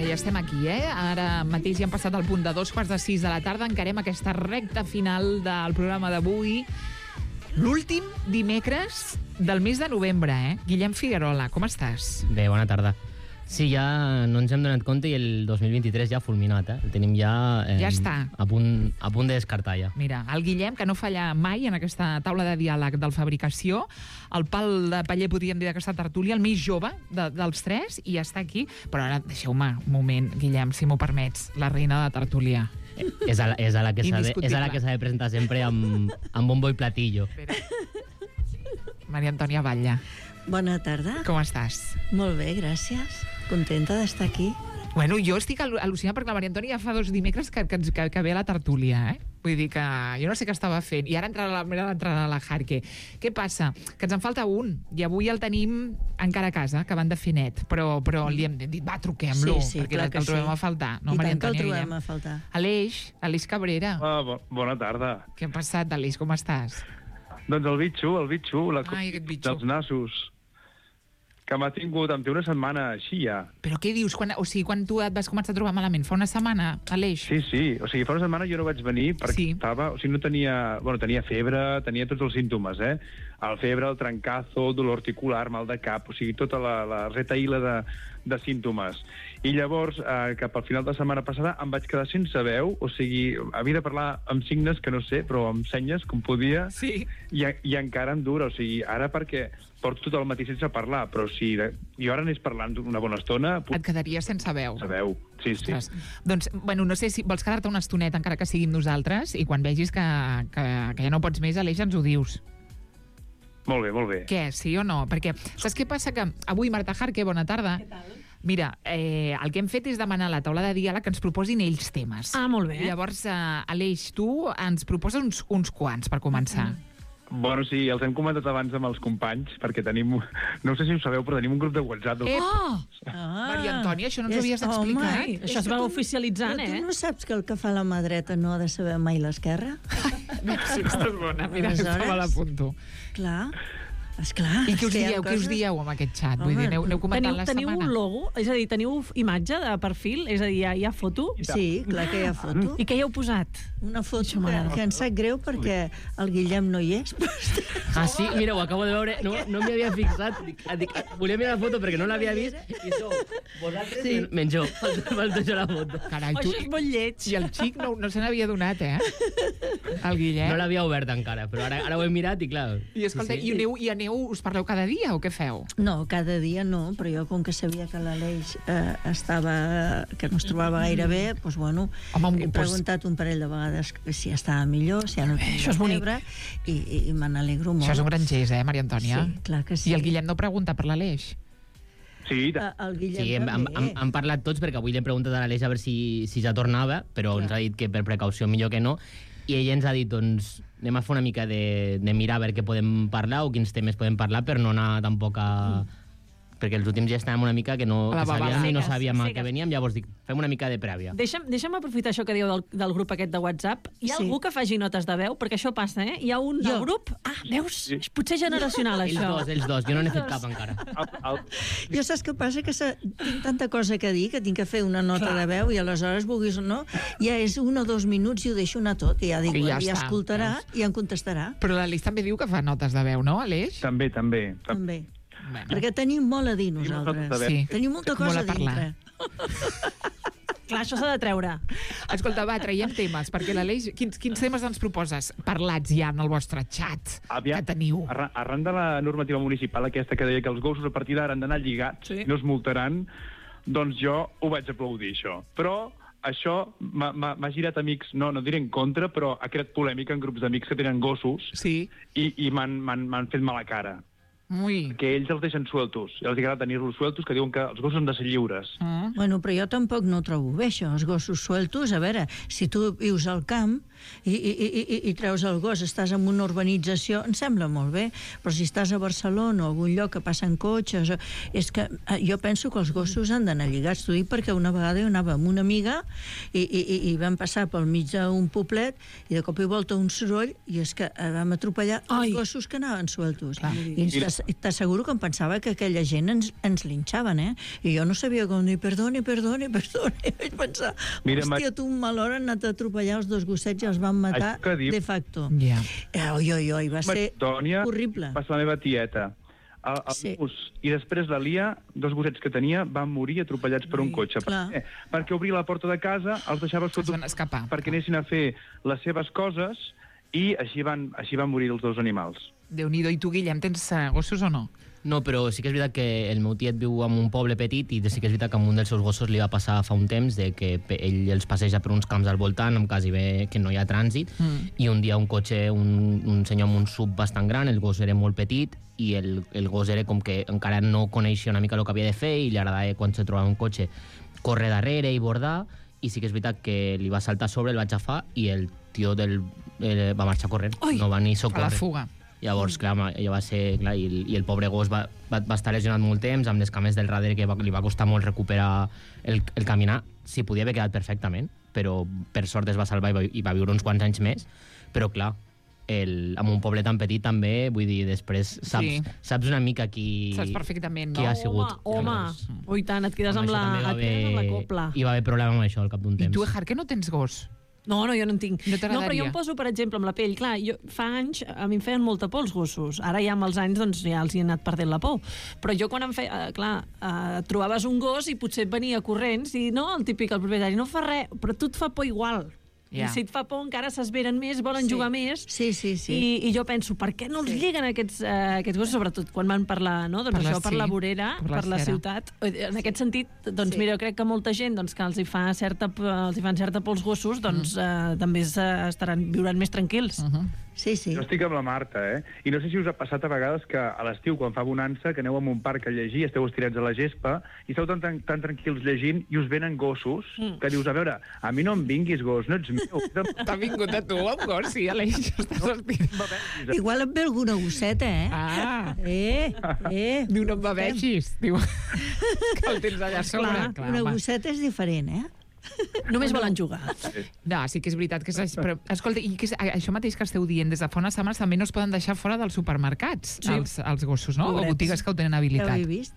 Ja estem aquí, eh? Ara mateix ja hem passat el punt de dos quarts de sis de la tarda. Encarem aquesta recta final del programa d'avui. L'últim dimecres del mes de novembre, eh? Guillem Figuerola, com estàs? Bé, bona tarda. Sí, ja no ens hem donat compte i el dos mil vint-i-tres ja ha fulminat, eh? El tenim ja... Eh, ja està. A punt, a punt de descartar, ja. Mira, el Guillem, que no falla mai en aquesta taula de diàleg del Fabricació, el pal de paller, podríem dir, d'aquesta tertúlia, el més jove de, dels tres, i ja està aquí. Però ara, deixeu-me un moment, Guillem, si m'ho permets, la reina de la tertúlia. Eh, és, a la, és, a la que s'ha de, és a la que s'ha de presentar sempre amb, amb bombo i platillo. Espera. Maria Antònia Batlle. Bona tarda. Com estàs? Molt bé, gràcies. Contenta d'estar aquí. Bueno, jo estic al·lucinada perquè la Maria Antònia ja fa dos dimecres que, que, que, que ve a la tertúlia, eh? Vull dir que jo no sé què estava fent. I ara entrarà la, entrarà la Jarque. Què passa? Que ens en falta un. I avui el tenim encara a casa, acabant de fer net. Però, però li hem dit, va, truquem-lo. Sí, sí, perquè clar el, que el trobem sí. a faltar. No, I Maria tant que el Antònia trobem Guillem? a faltar. Aleix, Aleix Cabrera. Ah, bo bona tarda. Què ha passat, Aleix? Com estàs? Doncs el bitxo, el bitxo, la Ai, aquest bitxo. dels nassos, que m'ha tingut, em té una setmana així ja. Però què dius? Quan, o sigui, quan tu et vas començar a trobar malament? Fa una setmana, Aleix? Sí, sí, o sigui, fa una setmana jo no vaig venir perquè Sí. estava, o sigui, no tenia, bueno, tenia febre, tenia tots els símptomes, eh? El febre, el trencazo, dolor articular, mal de cap, o sigui, tota la, la retaïla de, de símptomes. I llavors, eh, cap al final de la setmana passada, em vaig quedar sense veu, o sigui, havia de parlar amb signes que no sé, però amb senyes, com podia, Sí. i, i encara em dura, o sigui, ara perquè porto tot el matí sense parlar, però si jo ara anés parlant una bona estona, puc Et quedaries sense veu. sabeu. Sí, sí. Ostres. Doncs, bueno, no sé si vols quedar-te una estoneta, encara que sigui amb nosaltres, i quan vegis que, que, que ja no pots més, Aleix, ens ho dius. Molt bé, molt bé. Què, sí o no? Perquè saps què passa? Que avui, Marta Jarque, bona tarda. Què tal? Mira, eh, el que hem fet és demanar a la taula de diàleg que ens proposin ells temes. Ah, molt bé. I llavors, eh, Aleix, tu ens proposes uns, uns quants per començar. Bueno, sí, els hem comentat abans amb els companys, perquè tenim, no sé si ho sabeu, però tenim un grup de WhatsApp. Del... Eh, Oh! Ah, Maria Antònia, això no ens ho és- havies home, explicat. Ai, això es va que tu- oficialitzant, però eh? tu no saps que el que fa la mà dreta no ha de saber mai l'esquerra? Sí, estàs bona. Mira, Aleshores- això me l'apunto. Clar, esclar. I què us és que hi ha dieu? Què us coses- dieu amb aquest xat? Vull Home, dir, aneu, aneu comentant Teniu, la teniu setmana. un logo? És a dir, teniu imatge de perfil? És a dir, hi ha, hi ha foto? Sí, clar que hi ha foto. I què hi heu posat? Una foto Això que, m'agrada. que em sap greu perquè el Guillem no hi és. Ah, sí? Mira, ho acabo de veure. No, no m'hi havia fixat. Dic, dic, volia mirar la foto perquè no l'havia vist. I sou vosaltres sí. menys jo. Falta jo la foto. Carai, Oh, tu... això és molt lleig. I el xic no, no se n'havia donat, eh? El Guillem. No l'havia obert encara, però ara, ara ho he mirat i clar... I escolta, sí, sí. i, aneu, i aneu, us parleu cada dia o què feu? No, cada dia no, però jo com que sabia que l'Aleix eh, estava, que no es trobava gaire bé, doncs bueno, Home, he doncs- preguntat un parell de vegades si estava millor, si ja no tenia això és bonic. febre, i, i, i me n'alegro molt. Això és un gran gest, eh, Maria Antònia? Sí, clar que sí. I el Guillem no pregunta per l'Aleix? Sí, Eh, El Guillem Sí, hem, hem, també. hem, hem parlat tots perquè avui li hem preguntat a l'Aleix a veure si, si ja tornava, però ens ha dit que per precaució millor que no, i ell ens ha dit, doncs, anem a fer una mica de, de mirar a veure què podem parlar o quins temes podem parlar per no anar tampoc a... perquè els últims ja estàvem una mica que no A la que sabíem babada. i no Seques, sabíem a seques. què veníem, llavors dic, fem una mica de prèvia. Deixa'm, deixa'm aprofitar això que dieu del, del grup aquest de WhatsApp. Hi ha Sí. algú que faci notes de veu? Perquè això passa, eh? Hi ha un del Jo. grup... Ah, veus? És potser generacional, Ells això. dos, ells dos, jo no n'he fet cap encara. el, el, Jo saps què passa? Que se, tinc tanta cosa que dir que tinc que fer una nota de veu i aleshores, vulguis o no, ja és un o dos minuts i ho deixo anar tot. I ja dic, I ja ja, ja està, escoltarà i em contestarà. Però l'Aleix també diu que fa notes de veu, no, Aleix? també, també. També. Bueno. Perquè tenim molt a dir notes de nosaltres. veu. Sí. Tenim molta Molt cosa a a parlar. dintre. Clar, això s'ha de treure. Escolta, va, traiem temes, perquè l'Aleix... Quins, quins temes ens proposes parlats ja en el vostre xat Aviam, que teniu? Arran, arran de la normativa municipal aquesta que deia que els gossos a partir d'ara han d'anar lligats Sí. i no es multaran, doncs jo ho vaig aplaudir, això. Però això m'ha- m'ha m'ha girat amics, no, no diré en contra, però ha creat polèmica en grups d'amics que tenen gossos Sí. i, i m'han m'han- m'han fet mala cara. Ui. Que ells els deixen sueltos. I els agrada tenir-los sueltos, que diuen que els gossos han de ser lliures. Mm. Bueno, però jo tampoc no ho trobo bé, això, els gossos sueltos. A veure, si tu vius al camp i, i, i, i, i treus el gos, estàs en una urbanització, em sembla molt bé, però si estàs a Barcelona o a algun lloc que passen cotxes... o- És que eh, jo penso que els gossos han d'anar lligats. T'ho dic perquè una vegada jo anava amb una amiga i, i, i, i vam passar pel mig d'un poblet i de cop i volta un soroll i és que eh, vam atropellar Ai. els gossos que anaven sueltos. Clar. I t'ass- t'asseguro que em pensava que aquella gent ens, ens linxaven, eh? I jo no sabia com dir, perdoni, perdoni, perdoni. I vaig pensar, Mira, hòstia, Ma- tu un mal hora han anat a atropellar els dos gossets i els van matar Això que diu- de facto. Ja. Eh, oi, oi, oi, va ser Tònia horrible. va ser la meva tieta. El, el Sí. mus, i després la Lia, dos gossets que tenia, van morir atropellats per un cotxe. Per clar. què? Perquè obria la porta de casa, els deixava Es sota van escapar. perquè anessin a fer les seves coses i així van, així van morir els dos animals. Déu-n'hi-do. I tu, Guillem, tens eh, gossos o no? No, però sí que és veritat que el meu tiet viu en un poble petit i sí que és veritat que amb un dels seus gossos li va passar fa un temps de que pe- ell els passeja per uns camps al voltant amb quasi bé que no hi ha trànsit Mm. i un dia un cotxe, un, un senyor amb un sub bastant gran, el gos era molt petit i el, el gos era com que encara no coneixia una mica el que havia de fer i li agradava quan se trobava un cotxe córrer darrere i bordar i sí que és veritat que li va saltar a sobre, el va agafar i el tio del, eh, va marxar corrent, Ui, no va ni A la socórrer. fuga. Llavors, clar, allò va ser... Clar, i, el, I el pobre gos va, va, va estar lesionat molt temps, amb les cames del darrere, que va, li va costar molt recuperar el, el caminar. S'hi podia haver quedat perfectament, però per sort es va salvar i va, i va viure uns quants anys més. Però, clar, el, amb un poble tan petit també, vull dir, després saps, Sí. saps una mica qui, Saps perfectament, qui no? ha sigut. Home, Llavors, home. Ui, tant, et quedes amb això la, també va et quedes amb la haver- copla. Hi va haver problema amb això al cap d'un I temps. tu, Ejar, que no tens gos? No, no, jo no en tinc. No t'agradaria? No, però jo em poso, per exemple, amb la pell. Clar, jo, fa anys a mi em feien molta por els gossos. Ara ja amb els anys doncs, ja els hi he anat perdent la por. Però jo quan em feia... Eh, clar, eh, trobaves un gos i potser et venia corrents i no, el típic, el propietari, no fa res, però tu et fa por igual. Ja. I si et fa por encara s'esveren més, volen Sí. jugar més. Sí, sí, sí. I, I jo penso, per què no els lliguen aquests, eh, aquests gossos, sobretot quan van per la, no? doncs Per la- això, per sí, la vorera, per la per la cera. ciutat. En aquest sentit, doncs Sí. mira, jo crec que molta gent doncs, que els hi, fa certa, els hi fan certa por als gossos, doncs eh, també eh, estaran, viuran més tranquils. Uh -huh. Sí, sí. Jo estic amb la Marta, eh? I no sé si us ha passat a vegades que a l'estiu, quan fa bonança, que aneu a un parc a llegir, esteu estirats a la gespa, i esteu tan, tan, tan tranquils llegint, i us venen gossos, Mm. que dius, a veure, a mi no em vinguis, gos, no ets meu. T'ha vingut a tu amb gos, sí, Aleix, estàs aspirant. Igual et ve alguna gosseta, eh? Ah, Eh, eh. diu, no em beveixis. Diu, que el tens allà a sobre. Clar, Una home. gosseta és diferent, eh? Només volen jugar. No, sí que és veritat que és... Però, escolta, i que és, això mateix que esteu dient, des de fa unes setmanes també no es poden deixar fora dels supermercats, Sí. els, els gossos, no? O Pobrets. botigues que ho tenen Ja ho habilitat. he vist.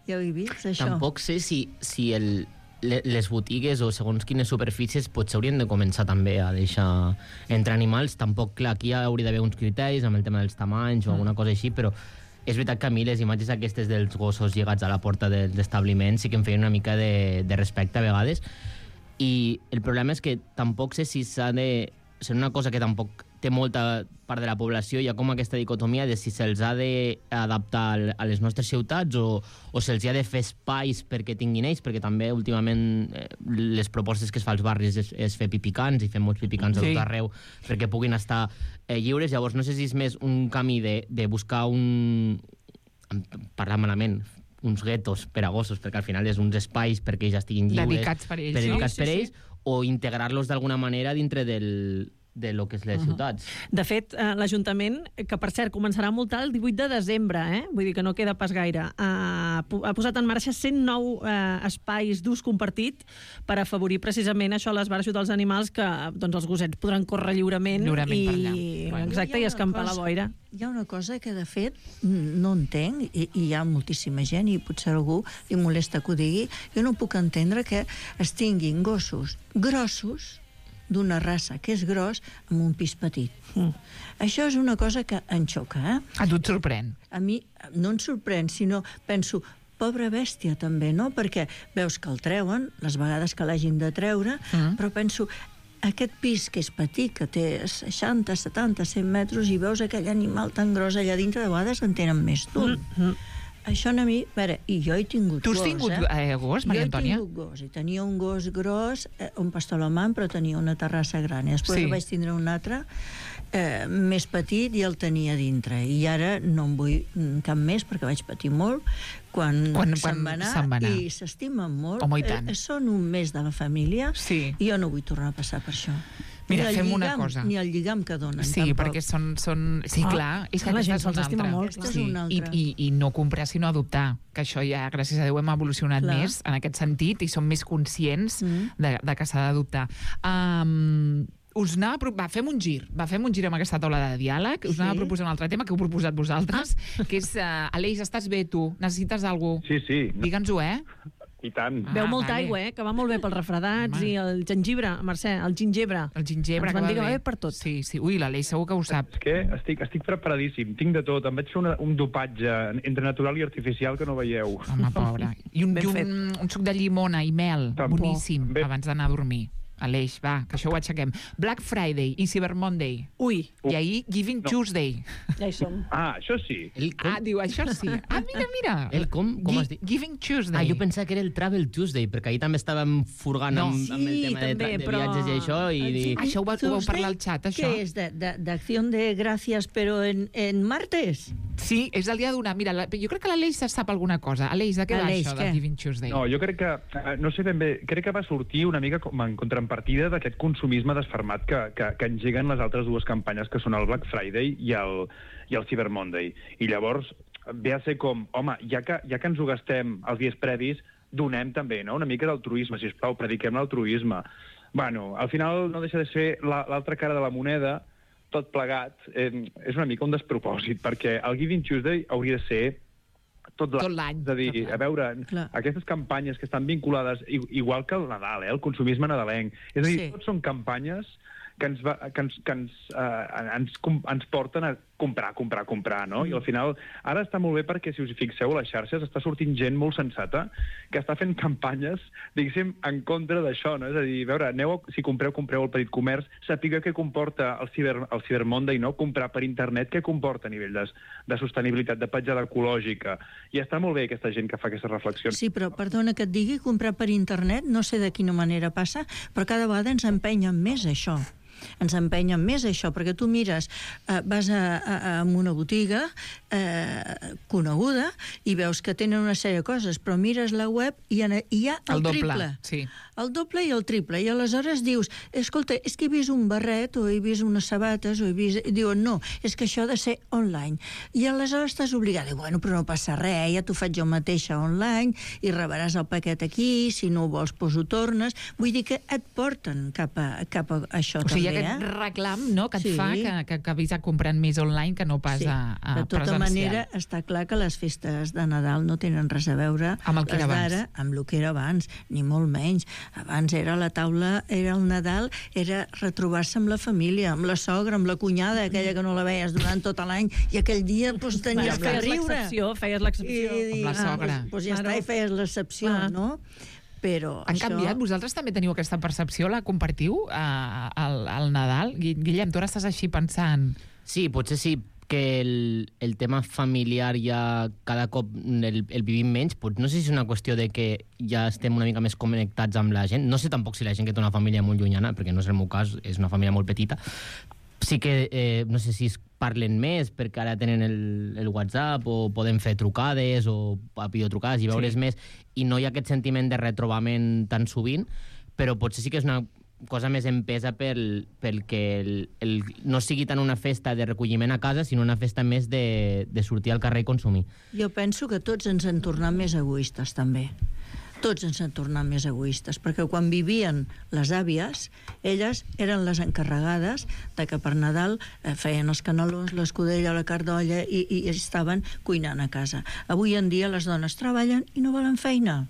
Ja ho he vist, això. Tampoc sé si, si el, le- les botigues o segons quines superfícies potser haurien de començar també a deixar entrar animals. Tampoc, clar, aquí hauria d'haver uns criteris amb el tema dels tamanys o alguna cosa així, però és veritat que a mi les imatges aquestes dels gossos lligats a la porta dels establiments sí que em feien una mica de, de respecte a vegades. I el problema és que tampoc sé si s'ha de... És una cosa que tampoc té molta part de la població, hi ha com aquesta dicotomia de si se'ls ha d'adaptar a les nostres ciutats o, o se'ls ha de fer espais perquè tinguin ells, perquè també últimament eh, les propostes que es fa als barris és, és fer pipicans i fer molts pipicans Sí. a tot arreu perquè puguin estar eh, lliures. Llavors no sé si és més un camí de, de buscar un... parlar malament, uns guetos per a gossos, perquè al final és uns espais perquè ells estiguin lliures. Dedicats per ells, Per sí, dedicats sí, per sí. ells, o integrar-los d'alguna manera dintre del, de lo que és les ciutats. De fet, eh, l'Ajuntament, que per cert començarà a multar el divuit de desembre, eh? Vull dir que no queda pas gaire, ha, ha posat en marxa cent nou eh, espais d'ús compartit per afavorir precisament això a l'esbarjo dels animals, que doncs, els gossets podran córrer lliurement, Lliurement i, per allà. Bueno. exacte, Hi i ha una escampar la cosa- boira. Hi ha una cosa que, de fet, no entenc, i, i hi ha moltíssima gent, i potser algú li molesta que ho digui, jo no puc entendre que es tinguin gossos grossos, d'una raça que és gros, amb un pis petit. Mm. Això és una cosa que em xoca, eh? A tu et sorprèn. A mi no em sorprèn, sinó penso, pobra bèstia també, no? Perquè veus que el treuen, les vegades que l'hagin de treure, Mm. però penso, aquest pis que és petit, que té seixanta, setanta, cent metres, i veus aquell animal tan gros allà dintre, de vegades en tenen més d'un. Mm. Això a mi, a veure, i jo he tingut Tu has gos, tingut eh? eh, gos, Maria Antònia? Jo he tingut gos, i tenia un gos gros, eh, un pastor alemany, però tenia una terrassa gran. I després Sí. sí. vaig tindre un altre, eh, més petit, i el tenia dintre. I ara no en vull mm, cap més, perquè vaig patir molt quan, Quan- se'n quan va anar, se'n va anar. i s'estimen molt. Home, i tant. Eh, són un mes de la família, Sí. i jo no vull tornar a passar per això. Mira, ni el fem una lligam, cosa. Ni el lligam que donen, Sí, tampoc. perquè són... són... Sí, Ah, clar, és que clar, la aquesta gent és se'ls una estima altra. molt, Aquesta és Sí. una I, altra. i, I no comprar, sinó adoptar, que això ja, gràcies a Déu, hem evolucionat Clar. més en aquest sentit i som més conscients Mm. de, de que s'ha d'adoptar. Um, us anava a pro... Va, fem un gir. Va, fem un gir amb aquesta taula de diàleg. Us Sí. anava a proposar un altre tema que heu proposat vosaltres, que és... Uh, Aleix, estàs bé, tu? Necessites alguna cosa? Sí, sí, no, Digue'ns-ho, eh? i tant. Ah, Beu molta vale. aigua, eh? Que va molt bé pels refredats. Home. I el gengibre, Mercè, el gingebre. El gingebre, Ens van que dir que va va bé. bé per tot. Sí, sí. Ui, l'Aleix segur que ho sap. És que estic, estic preparadíssim, tinc de tot. Em vaig fer una, un dopatge entre natural i artificial que no veieu. Home, pobre. I un, Ben i fet. un, un suc de llimona i mel, Tampoc. boníssim, Ben- abans d'anar a dormir. Aleix, va, que això ho aixequem. Black Friday i Cyber Monday. Ui, I ahir Giving No. Tuesday. ja hi som. Ah, això sí. El com? Ah, diu, això sí. Ah, mira, mira. El com? Com Gi- has dit? Giving Tuesday. Ah, jo pensava que era el Travel Tuesday, perquè ahir també estàvem furgant No. amb, amb el Sí, tema de, també, de però- viatges i això, i... Sí. i... Això ho va- ho vau Tuesday, parlar al xat, això? ¿Qué es? De, de, de acción de gracias, pero en, en martes? Sí, és el dia de donar. Mira, la, jo crec que l'Aleix se sap alguna cosa. Aleix, de què va Aleix, això, què? del Giving Tuesday? No, jo crec que, eh, no sé ben bé, crec que va sortir una mica com en contrapartida d'aquest consumisme desfermat que, que, que engeguen les altres dues campanyes, que són el Black Friday i el, i el Cyber Monday. I llavors ve a ser com, home, ja que, ja que ens ho gastem els dies previs, donem també, no?, una mica d'altruisme, sisplau, prediquem l'altruisme. Bueno, al final no deixa de ser l'altra cara de la moneda, tot plegat, eh, és una mica un despropòsit, perquè el Giving Tuesday hauria de ser tot l'any. És a dir, a veure, Clar. aquestes campanyes que estan vinculades, igual que el Nadal, eh, el consumisme nadalenc, és a dir, Sí. tots són campanyes que ens, va, que ens, que ens, eh, ens, ens porten a comprar, comprar, comprar, no? Mm. I al final, ara està molt bé perquè, si us hi fixeu, a les xarxes està sortint gent molt sensata que està fent campanyes, diguéssim, en contra d'això, no? És a dir, a veure, aneu, a, si compreu, compreu el petit comerç, sapigueu què comporta el Cyber, el Cyber Monday, no? Comprar per internet, què comporta a nivell de, de sostenibilitat, de petjada ecològica. I està molt bé aquesta gent que fa aquestes reflexions. Sí, però perdona que et digui, comprar per internet, no sé de quina manera passa, però cada vegada ens empenyen més això. Ens empenyen més això, perquè tu mires, eh, vas a, a, a una botiga eh, coneguda i veus que tenen una sèrie de coses, però mires la web i hi ha, hi ha el, El doble, triple. sí. El doble i el triple. I aleshores dius, escolta, és que he vist un barret o he vist unes sabates o he vist... I diuen, no, és que això ha de ser online. I aleshores estàs obligat. I, bueno, però no passa res, ja t'ho faig jo mateixa online i rebràs el paquet aquí, si no ho vols, doncs ho tornes. Vull dir que et porten cap a, cap a això O sigui, hi també, ha aquest eh? reclam, no?, que et Sí. fa que, que acabis comprant més online que no pas Sí. a, a De tota presencial. manera, està clar que les festes de Nadal no tenen res a veure Amb el que les era d'ara amb el que era abans, ni molt menys. Abans era la taula, era el Nadal, era retrobar-se amb la família, amb la sogra, amb la cunyada, aquella que no la veies durant tot l'any, i aquell dia doncs, tenies que feies riure. l'excepció, feies l'excepció. I, i, Amb la sogra. Doncs, doncs ja Claro. està, i feies l'excepció, Clar. no? Però Han això... canviat? Vosaltres també teniu aquesta percepció? La compartiu eh, al, al Nadal? Gui- Guillem, tu ara estàs així pensant... Sí, potser sí que el, el tema familiar ja cada cop el, el vivim menys. Pot, no sé si és una qüestió de que ja estem una mica més connectats amb la gent. No sé tampoc si la gent que té una família molt llunyana, perquè no és el meu cas, és una família molt petita. Sí que, eh, no sé si es parlen més perquè ara tenen el, el WhatsApp o poden fer trucades o videotrucades i veure's Sí. més, i no hi ha aquest sentiment de retrobament tan sovint, però potser sí que és una cosa més empesa pel, pel que el, el, no sigui tant una festa de recolliment a casa, sinó una festa més de, de sortir al carrer i consumir. Jo penso que tots ens en tornem més egoistes, també. Tots ens en tornem més egoistes, perquè quan vivien les àvies, elles eren les encarregades de que per Nadal eh, feien els canelons, l'escudella, la cardolla, i, i estaven cuinant a casa. Avui en dia les dones treballen i no volen feina.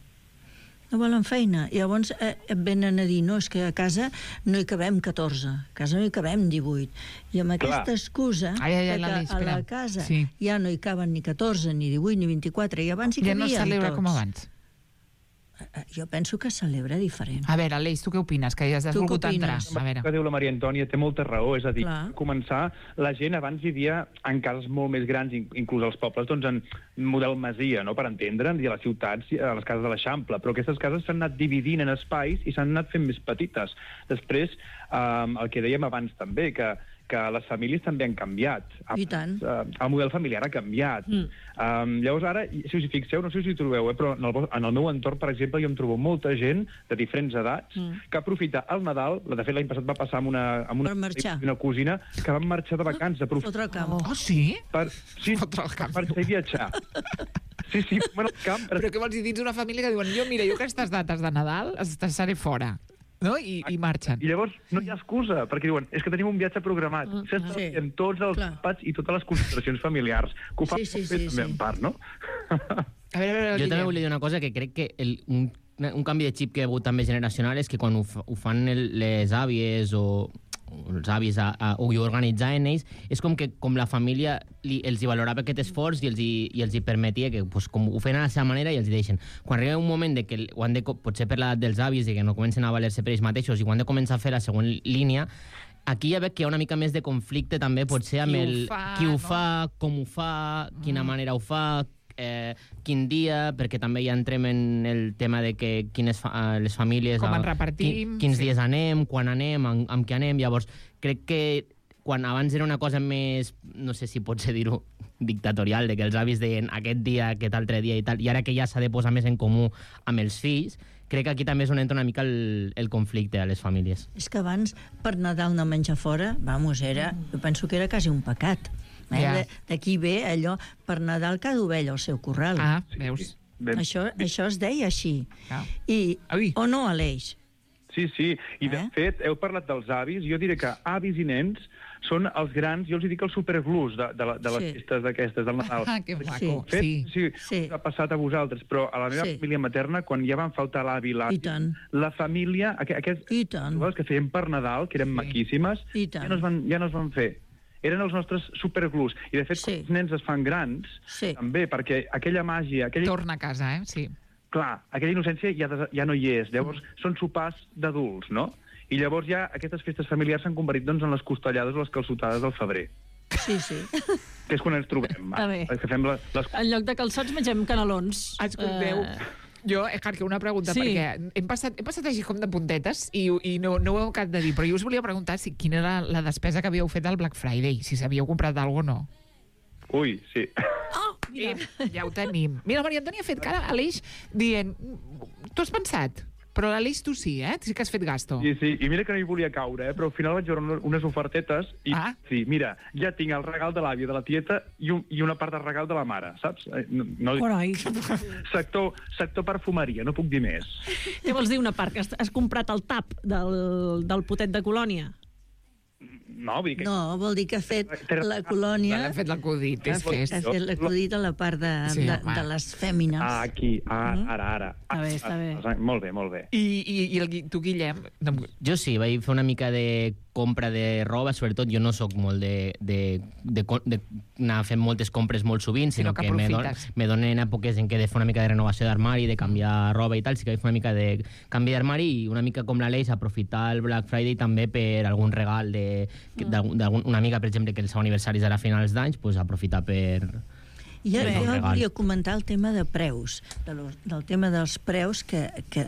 No volen feina. I llavors eh, et venen a dir, no, és que a casa no hi cabem catorze, a casa no hi cabem divuit. I amb aquesta excusa Ai, ai, ai, de l'Ali, que a espera. la casa Sí. ja no hi caben ni catorze, ni divuit, ni vint-i-quatre, i abans hi Ja cabien no es celebra tots. com abans. Eh, Jo penso que es celebra diferent. A veure, Aleix, tu què opines? Que ja has Tu què volgut entrar. opines? A veure. Que diu la Maria Antònia té molta raó, és a dir, Clar. a començar, la gent abans vivia en cases molt més grans, in- inclús als pobles, doncs en model masia, no?, per entendre'ns, i a les ciutats, i a les cases de l'Eixample, però aquestes cases s'han anat dividint en espais i s'han anat fent més petites. Després, eh, el que dèiem abans també, que que les famílies també han canviat. I tant. Uh, el model familiar ha canviat. Mm. Um, llavors ara, si us hi fixeu, no sé si hi trobeu, eh, però en el, vo- en el meu entorn, per exemple, jo em trobo molta gent de diferents edats Mm. que aprofita el Nadal, de fet l'any passat va passar amb una, amb una, Per marxar. una cosina, que van marxar de vacances. Aprofita Fotre el camp. Oh, sí? per, sí, Fotre el camp. per marxar i viatjar. Sí, sí, bueno, el camp. Però què vols dir? Dins una família que diuen, jo, mira, jo aquestes dates de Nadal es- seré fora. No? I, i marxen. I llavors no hi ha excusa, perquè diuen, és que tenim un viatge programat. Mm, S'estan sí. fent tots els Clar. àpats i totes les concentracions familiars, que ho fan Sí, sí, molt bé sí, també sí. en part, no? A veure, a veure, Jo Guillem. també volia dir una cosa, que crec que el, un, un canvi de xip que hi ha hagut també generacional és que quan ho, fa- ho fan el, les àvies o o els avis a, a, o hi organitzaven ells, és com que com la família li, els hi valorava aquest esforç i els hi, i els hi permetia que pues, com ho feien a la seva manera i els hi deixen. Quan arriba un moment de que el- ho han de, co- potser per l'edat dels avis i que no comencen a valer-se per ells mateixos i quan han de començar a fer la següent línia, aquí ja veig que hi ha una mica més de conflicte també potser amb Qui ho el fa, qui ho no? fa, com ho fa, quina manera ho fa, eh, quin dia, perquè també ja entrem en el tema de que quines fa, les famílies... Com a- ens repartim, Quin, quins sí. dies anem, quan anem, amb, amb què anem... Llavors, crec que quan abans era una cosa més, no sé si pot ser dir-ho, dictatorial, de que els avis deien aquest dia, aquest altre dia i tal, i ara que ja s'ha de posar més en comú amb els fills, crec que aquí també és on entra una mica el, el conflicte a les famílies. És que abans, per Nadal no menjar fora, vamos, era, jo penso que era quasi un pecat. Eh? Ja. De- D'aquí ve allò, per Nadal cada ovella al seu corral. Ah, veus? Ben- Això, això es deia així. Ah. I, Ui. o no, Aleix? Sí, sí, i de Eh? fet, heu parlat dels avis, jo diré que avis i nens són els grans, jo els hi dic els superglus de, de, la, de les Sí. festes d'aquestes, del Nadal. Ah, que maco. Fet, Sí. sí, Sí. us ha passat a vosaltres, però a la meva Sí. família materna, quan ja van faltar l'avi i l'avi, I tant. la família, aqu aquest, I tant. les que feien per Nadal, que eren Sí. maquíssimes, I tant. ja no, es van, ja no es van fer. Eren els nostres superglus. I, de fet, Sí. quan els nens es fan grans, Sí. també, perquè aquella màgia, aquella, Torna a casa, eh? Sí. clar, aquella innocència ja, des- ja no hi és. Llavors, són sopars d'adults, no? I llavors ja aquestes festes familiars s'han convertit doncs, en les costellades o les calçotades del febrer, Sí, sí. que és quan ens trobem. Està bé. Que fem la, les... En lloc de calçots mengem canelons. Escolteu, Eh, jo, eh, Carque, una pregunta, Sí. perquè hem passat, hem passat així com de puntetes i, i no, no ho heu acabat de dir, però jo us volia preguntar si quina era la despesa que havíeu fet al Black Friday, si s'havíeu comprat alguna o no. Ui, sí. Oh, mira. Eh, ja ho tenim. Mira, la Maria Antònia ha fet cara a l'Aleix dient, tu has pensat? Però l'Aleix tu sí, eh? Sí que has fet gasto. Sí, sí, i mira que no hi volia caure, eh? Però al final vaig veure unes- unes ofertetes i Ah. sí, mira, ja tinc el regal de l'àvia, de la tieta i, un, i una part del regal de la mare, saps? Eh, No, no, Carai. sector, sector perfumeria, no puc dir més. Què vols dir una part? Que has, has comprat el tap del, del potet de Colònia? No, vull dir que... No, vol dir que ha fet la colònia... L'hem fet l'acudit, és que és... Ha fet l'acudit a la part de, Sí, de, home. de les fèmines. Ah, aquí, ah, ara, ara. Està bé, està bé. Ah, molt bé, molt bé. I, i, i el, Gui- tu, Guillem, no, em- Jo sí, vaig fer una mica de compra de roba, sobretot jo no sóc molt de, de, de, co- de anar fent moltes compres molt sovint, Sinó sinó, que que, me, don, aprofites. me donen èpoques en què he de fer una mica de renovació d'armari, de canviar roba i tal, sí que vaig fer una mica de canvi d'armari i una mica com l'Aleix, aprofitar el Black Friday també per algun regal de- que- d'algun- d'una amiga, per exemple, que el seu aniversari serà a finals d'anys, pues aprofitar per... I jo, Bé. jo Regal. volia comentar el tema de preus, de los, del tema dels preus que, que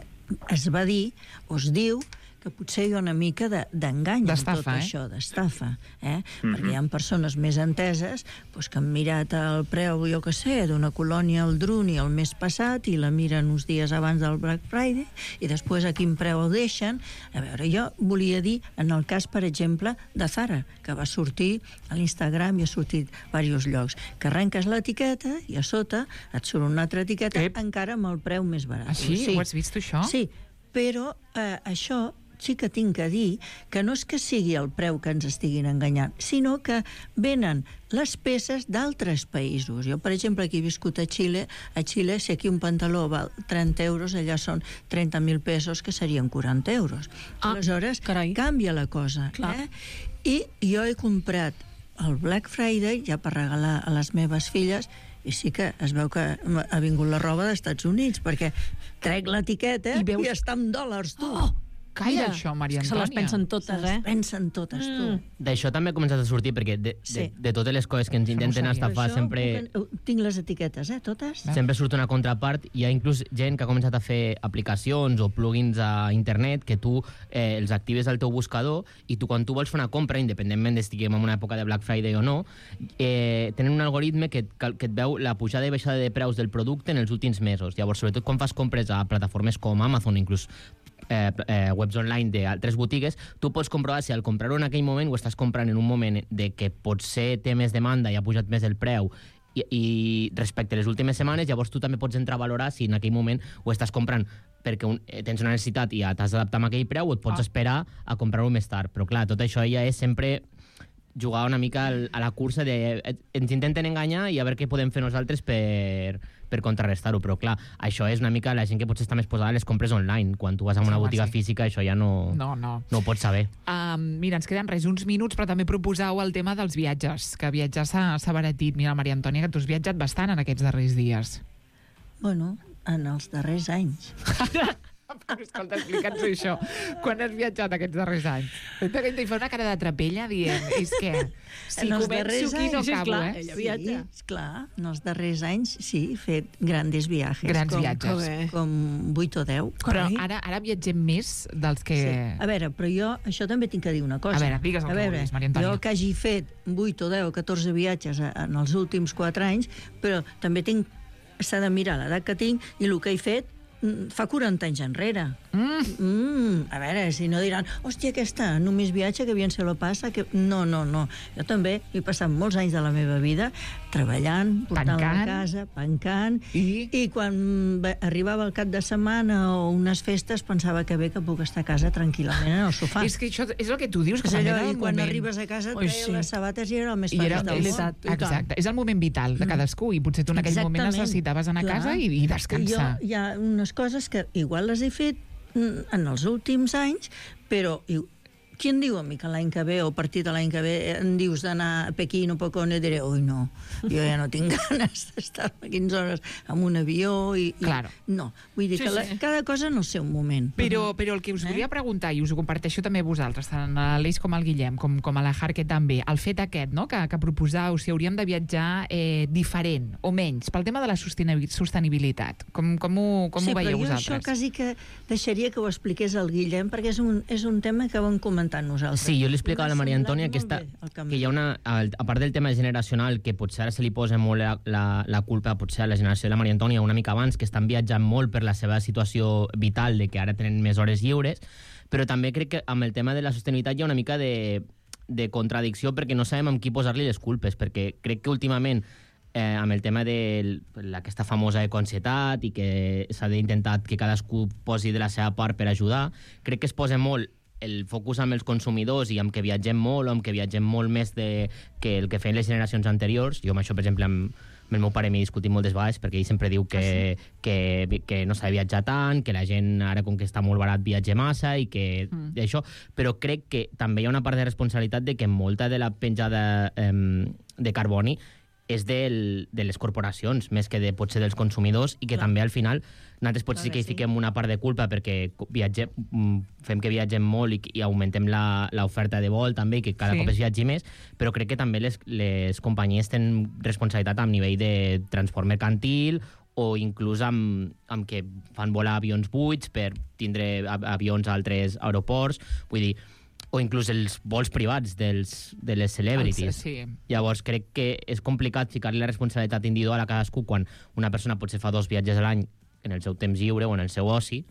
es va dir, o es diu, que potser hi ha una mica de- d'engany en tot D'estafa, eh? això, d'estafa. Eh? Perquè hi ha persones més enteses doncs, que han mirat el preu, jo que sé, d'una colònia al Druni el mes passat i la miren uns dies abans del Black Friday i després a quin preu ho deixen. A veure, jo volia dir, en el cas, per exemple, de Zara, que va sortir a l'Instagram i ha sortit a diversos llocs, que arrenques l'etiqueta i a sota et surt una altra etiqueta Ep. encara amb el preu més barat. Ah, sí? Ho has vist, això? Sí, però eh, això sí que tinc que dir que no és que sigui el preu que ens estiguin enganyant, sinó que venen les peces d'altres països. Jo, per exemple, aquí he viscut a Xile. A Xile, si aquí un pantaló val trenta euros, allà són trenta mil pesos, que serien quaranta euros. Ah, Aleshores, carai. canvia la cosa. Clar. Eh? I jo he comprat el Black Friday, ja per regalar a les meves filles, i sí que es veu que ha vingut la roba dels Estats Units, perquè trec l'etiqueta I i, veus- i està en dòlars, tu. Oh, calla Mira, això, Maria és que Antònia. se les pensen totes, Se eh? les pensen totes, tu. Mm. D'això també ha començat a sortir, perquè de, Sí. de, de totes les coses que ens intenten sabia. estafar Això sempre... puc- Tinc les etiquetes, eh, totes? Sempre surt una contrapart. Hi ha inclús gent que ha començat a fer aplicacions o plugins a internet que tu eh, els actives al teu buscador i tu, quan tu vols fer una compra, independentment d'estiguem en una època de Black Friday o no, eh, tenen un algoritme que, et- que et veu la pujada i baixada de preus del producte en els últims mesos. Llavors, sobretot quan fas compres a plataformes com Amazon, inclús eh, eh, webs online d'altres botigues, tu pots comprovar si al comprar-ho en aquell moment ho estàs comprant en un moment de que potser té més demanda i ha pujat més el preu i, i respecte a les últimes setmanes, llavors tu també pots entrar a valorar si en aquell moment ho estàs comprant perquè un, eh, tens una necessitat i t'has d'adaptar amb aquell preu o et pots Ah. esperar a comprar-ho més tard. Però clar, tot això ja és sempre jugar una mica al, a la cursa de... eh, ens intenten enganyar i a veure què podem fer nosaltres per, per contrarrestar-ho. Però clar, això és una mica la gent que potser està més posada a les compres online. Quan tu vas a una Sí, home, botiga sí. física, això ja no, No, no. no ho pots saber. Um, mira, ens queden res, uns minuts, però també proposau el tema dels viatges, que viatjar s'ha s'ha abaratit. Mira, Maria Antònia, que tu has viatjat bastant en aquests darrers dies. Bueno, en els darrers anys. Escolta, explica'ns això. Quan has viatjat aquests darrers anys? T'he de fer una cara de trapella dient, és que si En els començo darrers aquí no anys, sí, acabo, clar, eh? ella Sí, viatja. esclar, en els darrers anys sí, he fet grandes viatges. Grans com, viatges. Com, com vuit o deu. Però Carai. ara, ara viatgem més dels que... Sí. A veure, però jo això també tinc que dir una cosa. A veure, digues el A que veure, vulguis, Maria Antònia. Jo que hagi fet vuit o deu o catorze viatges a- en els últims quatre anys, però també tinc s'ha de mirar l'edat que tinc i el que he fet mm, fa quaranta anys enrere. Mm. Mm, a veure, si no diran hòstia, aquesta només viatge, que bien se lo passa, que... No, no, no. Jo també he passat molts anys de la meva vida treballant, portant Pencant. la casa, pencant, I? i quan va- arribava el cap de setmana o unes festes pensava que bé que puc estar a casa tranquil·lament en el sofà. És que això és el que tu dius, que És també allò, era i el quan moment... arribes a casa et Ui, treien sí. les sabates i era el més I era, feliç del és, món. i tant. exacte, és el moment vital de cadascú i potser tu en aquell moment Exactament. necessitaves anar a Clar. casa i, i descansar. Jo, hi ha unes coses que igual les he fet mm, en els últims anys, però i- qui em diu a mi que l'any que ve o a partir de l'any que ve em dius d'anar a Pequín o Pocón i diré, ui, no, jo ja no tinc ganes d'estar quinze hores en un avió i... i Claro. No, vull dir Sí, que la, sí. cada cosa en el seu moment. Però, però el que us Eh? volia preguntar, i us ho comparteixo també a vosaltres, tant a l'Aleix com al Guillem, com, com a la Jarque també, el fet aquest, no?, que, que proposau si hauríem de viatjar eh, diferent o menys, pel tema de la sostenibi- sostenibilitat. Com, com ho, com sí, ho veieu però jo vosaltres? això quasi que deixaria que ho expliqués el Guillem, perquè és un, és un tema que vam comentar nosaltres. Sí, jo li explicava a la Maria Una Antònia que, similar està, molt bé, el canvi. que hi ha una... al- A part del tema generacional, que potser ara se li posa molt la, la, la culpa potser a la generació de la Maria Antònia una mica abans, que estan viatjant molt per la seva situació vital, de que ara tenen més hores lliures, però també crec que amb el tema de la sostenibilitat hi ha una mica de, de contradicció, perquè no sabem amb qui posar-li les culpes, perquè crec que últimament eh, amb el tema de aquesta famosa econsietat i que s'ha d'intentar que cadascú posi de la seva part per ajudar, crec que es posa molt el focus amb els consumidors i amb que viatgem molt o amb que viatgem molt més de, que el que feien les generacions anteriors. Jo amb això, per exemple, amb, amb el meu pare m'he discutit moltes vegades perquè ell sempre diu que, ah, sí? que, que no s'ha de viatjar tant, que la gent ara com que està molt barat viatja massa i que mm. això, però crec que també hi ha una part de responsabilitat de que molta de la penjada eh, de carboni és del, de les corporacions, més que de, potser dels consumidors, i que Clar. també al final nosaltres potser sí Clar que que hi sí. fiquem una part de culpa perquè viatgem, fem que viatgem molt i, i augmentem la- l'oferta de vol també, i que cada Sí. sí. cop es viatgi més, però crec que també les, les companyies tenen responsabilitat a nivell de transport mercantil o inclús amb, amb que fan volar avions buits per tindre a- avions a altres aeroports, vull dir, o inclús els vols privats dels, de les celebrities. Els- sí. Llavors, crec que és complicat ficar-li la responsabilitat individual a cadascú quan una persona potser fa dos viatges a l'any en el seu temps lliure o en el seu oci.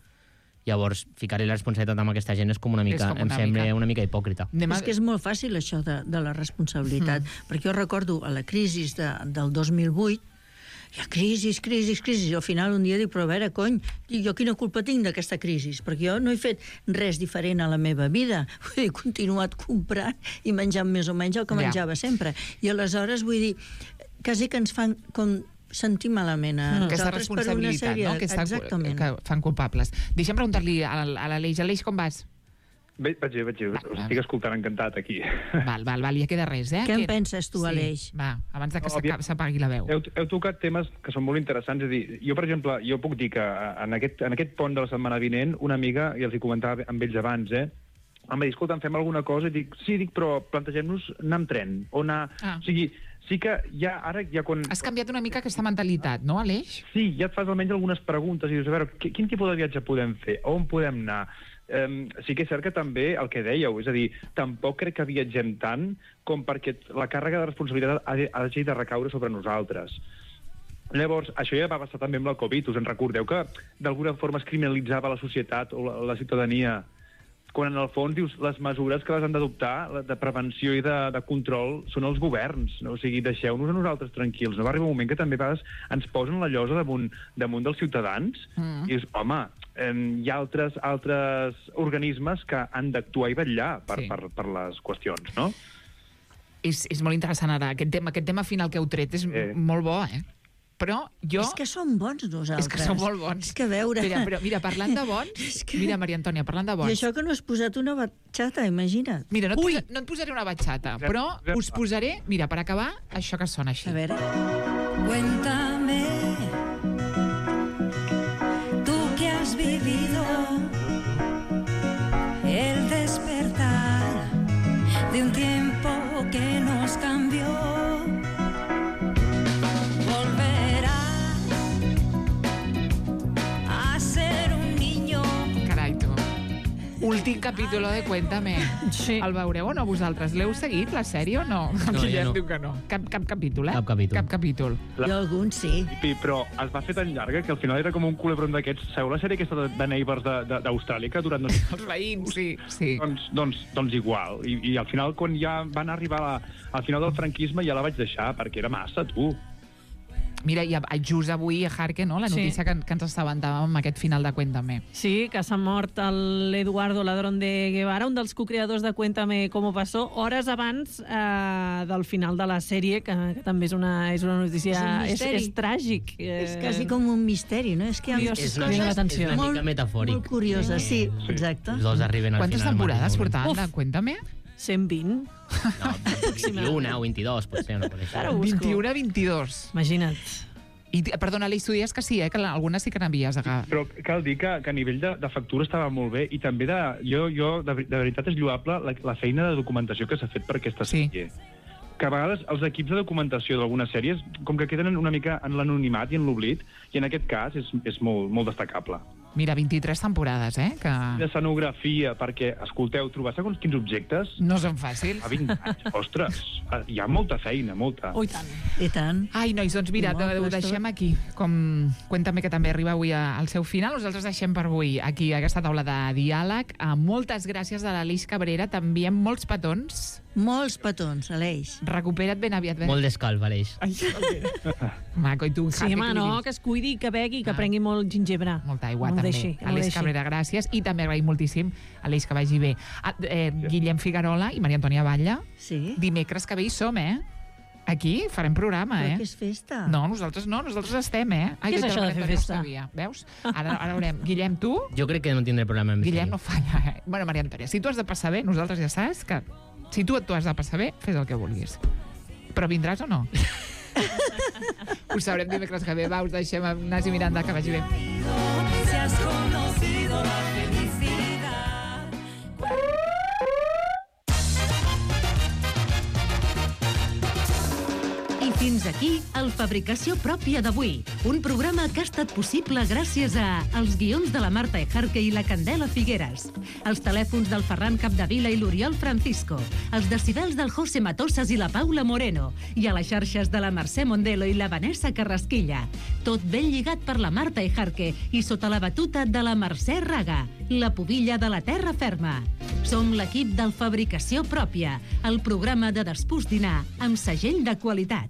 Llavors, ficar-li la responsabilitat amb aquesta gent és com una mica, com una em sembla mica. una mica hipòcrita. Anem a... És que és molt fàcil això de, de la responsabilitat, mm. perquè jo recordo a la crisi de, del dos mil vuit, hi ha crisis, crisis, crisis, i al final un dia dic, però a veure, cony, jo quina culpa tinc d'aquesta crisi? Perquè jo no he fet res diferent a la meva vida. Vull dir, he continuat comprant i menjant més o menys el que Ja. menjava sempre. I aleshores, vull dir, quasi que ens fan com sentir malament a Mm. Aquesta nosaltres per una responsabilitat, sèrie... no?, que, està, Exactament. que fan culpables. Deixa'm preguntar-li a, a l'Aleix. Aleix, com vas? Bé, vaig bé, vaig bé. Va, Us va. estic escoltant encantat aquí. Val, val, val, ja queda res, eh? Què en Que- penses tu, Aleix? Sí, va, abans de que No, s'aca- aviam. s'apagui la veu. Heu, heu tocat temes que són molt interessants. És a dir, jo, per exemple, jo puc dir que en aquest, en aquest pont de la setmana vinent, una amiga, i els hi comentava amb ells abans, eh, em va dir, escolta, fem alguna cosa? I dic, sí, dic, però plantegem-nos anar amb tren, o anar... Ah. O sigui, sí que ja, ara, ja quan... Has canviat una mica aquesta mentalitat, no, Aleix? Sí, ja et fas almenys algunes preguntes i dius, a veure, qui- quin tipus de viatge podem fer? On podem anar? Um, sí que és cert que també el que dèieu, és a dir, tampoc crec que viatgem tant com perquè la càrrega de responsabilitat ha de- hagi de recaure sobre nosaltres. Llavors, això ja va passar també amb la Covid. Us en recordeu que d'alguna forma es criminalitzava la societat o la, la ciutadania, quan en el fons dius les mesures que les han d'adoptar la de prevenció i de, de control són els governs, no? O sigui, deixeu-nos a nosaltres tranquils. No va arribar un moment que també a vegades ens posen la llosa damunt, damunt dels ciutadans Mm. i dius, home, eh, hi ha altres, altres organismes que han d'actuar i vetllar per, Sí. sí. per, per les qüestions, no? És, és molt interessant ara. Aquest tema, aquest tema final que heu tret és Eh. molt bo, eh? Però jo... És que som bons nosaltres. És que som molt bons. És que a veure... Mira, però, mira, parlant de bons... És que- Mira, Maria Antònia, parlant de I bons... això que no has posat una batxata, imagina't. Mira, no et, posa, no et posaré una batxata, però us posaré, mira, per acabar, això que sona així. A veure... Cuéntame, tú que has vivido de un tiempo que nos cambió. Volverá a ser un niño. Carai, tu. Últim capítol de Cuéntame. Sí. El veureu o no vosaltres? L'heu seguit, la sèrie, o no? El No, Guillem jo no. diu que no. Cap, cap capítol, eh? Cap capítol. Cap capítol. Jo algun sí. Sí, però es va fer tan llarga que al final era com un culebron d'aquests. Sabeu la sèrie aquesta de, de Neighbors de- de- d'Austràlia, que durant... Els veïns, sí. sí. doncs, doncs, doncs igual. I, I al final, quan ja van arribar a la, al final del franquisme, ja la vaig deixar, perquè era massa, tu. Mira, i a- just avui a Jarque, no? La Sí. notícia que, que ens assabentàvem amb aquest final de Cuéntame. Sí, que s'ha mort el Eduardo Ladrón de Guevara, un dels co-creadors de Cuéntame cómo pasó, hores abans eh, del final de la sèrie, que, que també és una, és una notícia... És un És, misteri. és tràgic. Eh, És quasi com un misteri, no? És que hi ha Curiós. És Crida una, mica, és l'atenció. una mica Molt- metafòric. molt curiosa, sí, Sí. exacte. Els dos arriben al Quantes final. temporades al mateix portaven moment. de Cuéntame? cent vint. No, vint-i-una o vint-i-dos, potser, una cosa Ara així. ho busco. vint-i-u a vint-i-dos. Imagina't. I, perdona, Aleix, tu dies que sí, eh? Que la- algunes sí que n'havies agafat. Però cal dir que, que a nivell de, de factura estava molt bé i també de, jo, jo de, ver- de veritat és lloable la, la feina de documentació que s'ha fet per aquesta Sí. sèrie. Que a vegades els equips de documentació d'algunes sèries com que queden una mica en l'anonimat i en l'oblit, i en aquest cas és, és molt, molt destacable. Mira, vint-i-tres temporades, eh? Que L'escenografia, perquè, escolteu, trobar segons quins objectes no són fàcils. a vint anys, ostres, hi ha molta feina, molta. Oh, i tant. I tant. Ai, nois, doncs mira, Molt ho plaç, deixem aquí. Com Cuéntame, que també arriba avui a- al seu final. Nosaltres deixem per avui aquí aquesta taula de diàleg. Uh, moltes gràcies a l'Aleix Cabrera. T'enviem molts petons. Molts petons, Aleix. Recupera't ben aviat. Ben... Molt d'escalf, Aleix. Ai, maco, i tu, Sí, Jaque, home, què li no, dius? que es cuidi, que begui, que Ah. prengui molt gingebre. Molta aigua, no ho també. Deixi, no ho Aleix deixi. Cabrera, gràcies. I també agraïm moltíssim, Aleix, que vagi bé. Ah, eh, Guillem Figuerola i Maria Antònia Batlle. Sí. Dimecres que ve hi som, eh? Aquí farem programa, Però eh? que és festa. No, nosaltres no, nosaltres estem, eh? Ai, Què és que això de Maria fer Antònia festa? No ho sabia. Veus? Ara, ara veurem. Guillem, tu? Jo crec que no tindré problema amb Guillem això. no falla, eh? Bueno, Maria Antònia, si tu has de passar bé, nosaltres ja saps que si tu tu has de passar bé, fes el que vulguis. Però vindràs o no? Ho sabrem dimecres que ve. Va, us deixem amb Nasi Miranda, que vagi bé. Si has conocido la felicidad. I fins aquí el Fabricació Pròpia d'avui, un programa que ha estat possible gràcies a els guions de la Marta Ejarque i la Candela Figueres, els telèfons del Ferran Capdevila i l'Oriol Francisco, els decibels del José Matosas i la Paula Moreno, i a les xarxes de la Mercè Mondelo i la Vanessa Carrasquilla. Tot ben lligat per la Marta Ejarque i sota la batuta de la Mercè Raga, la pubilla de la terra ferma. Som l'equip del Fabricació Pròpia, el programa de despús dinar amb segell de qualitat.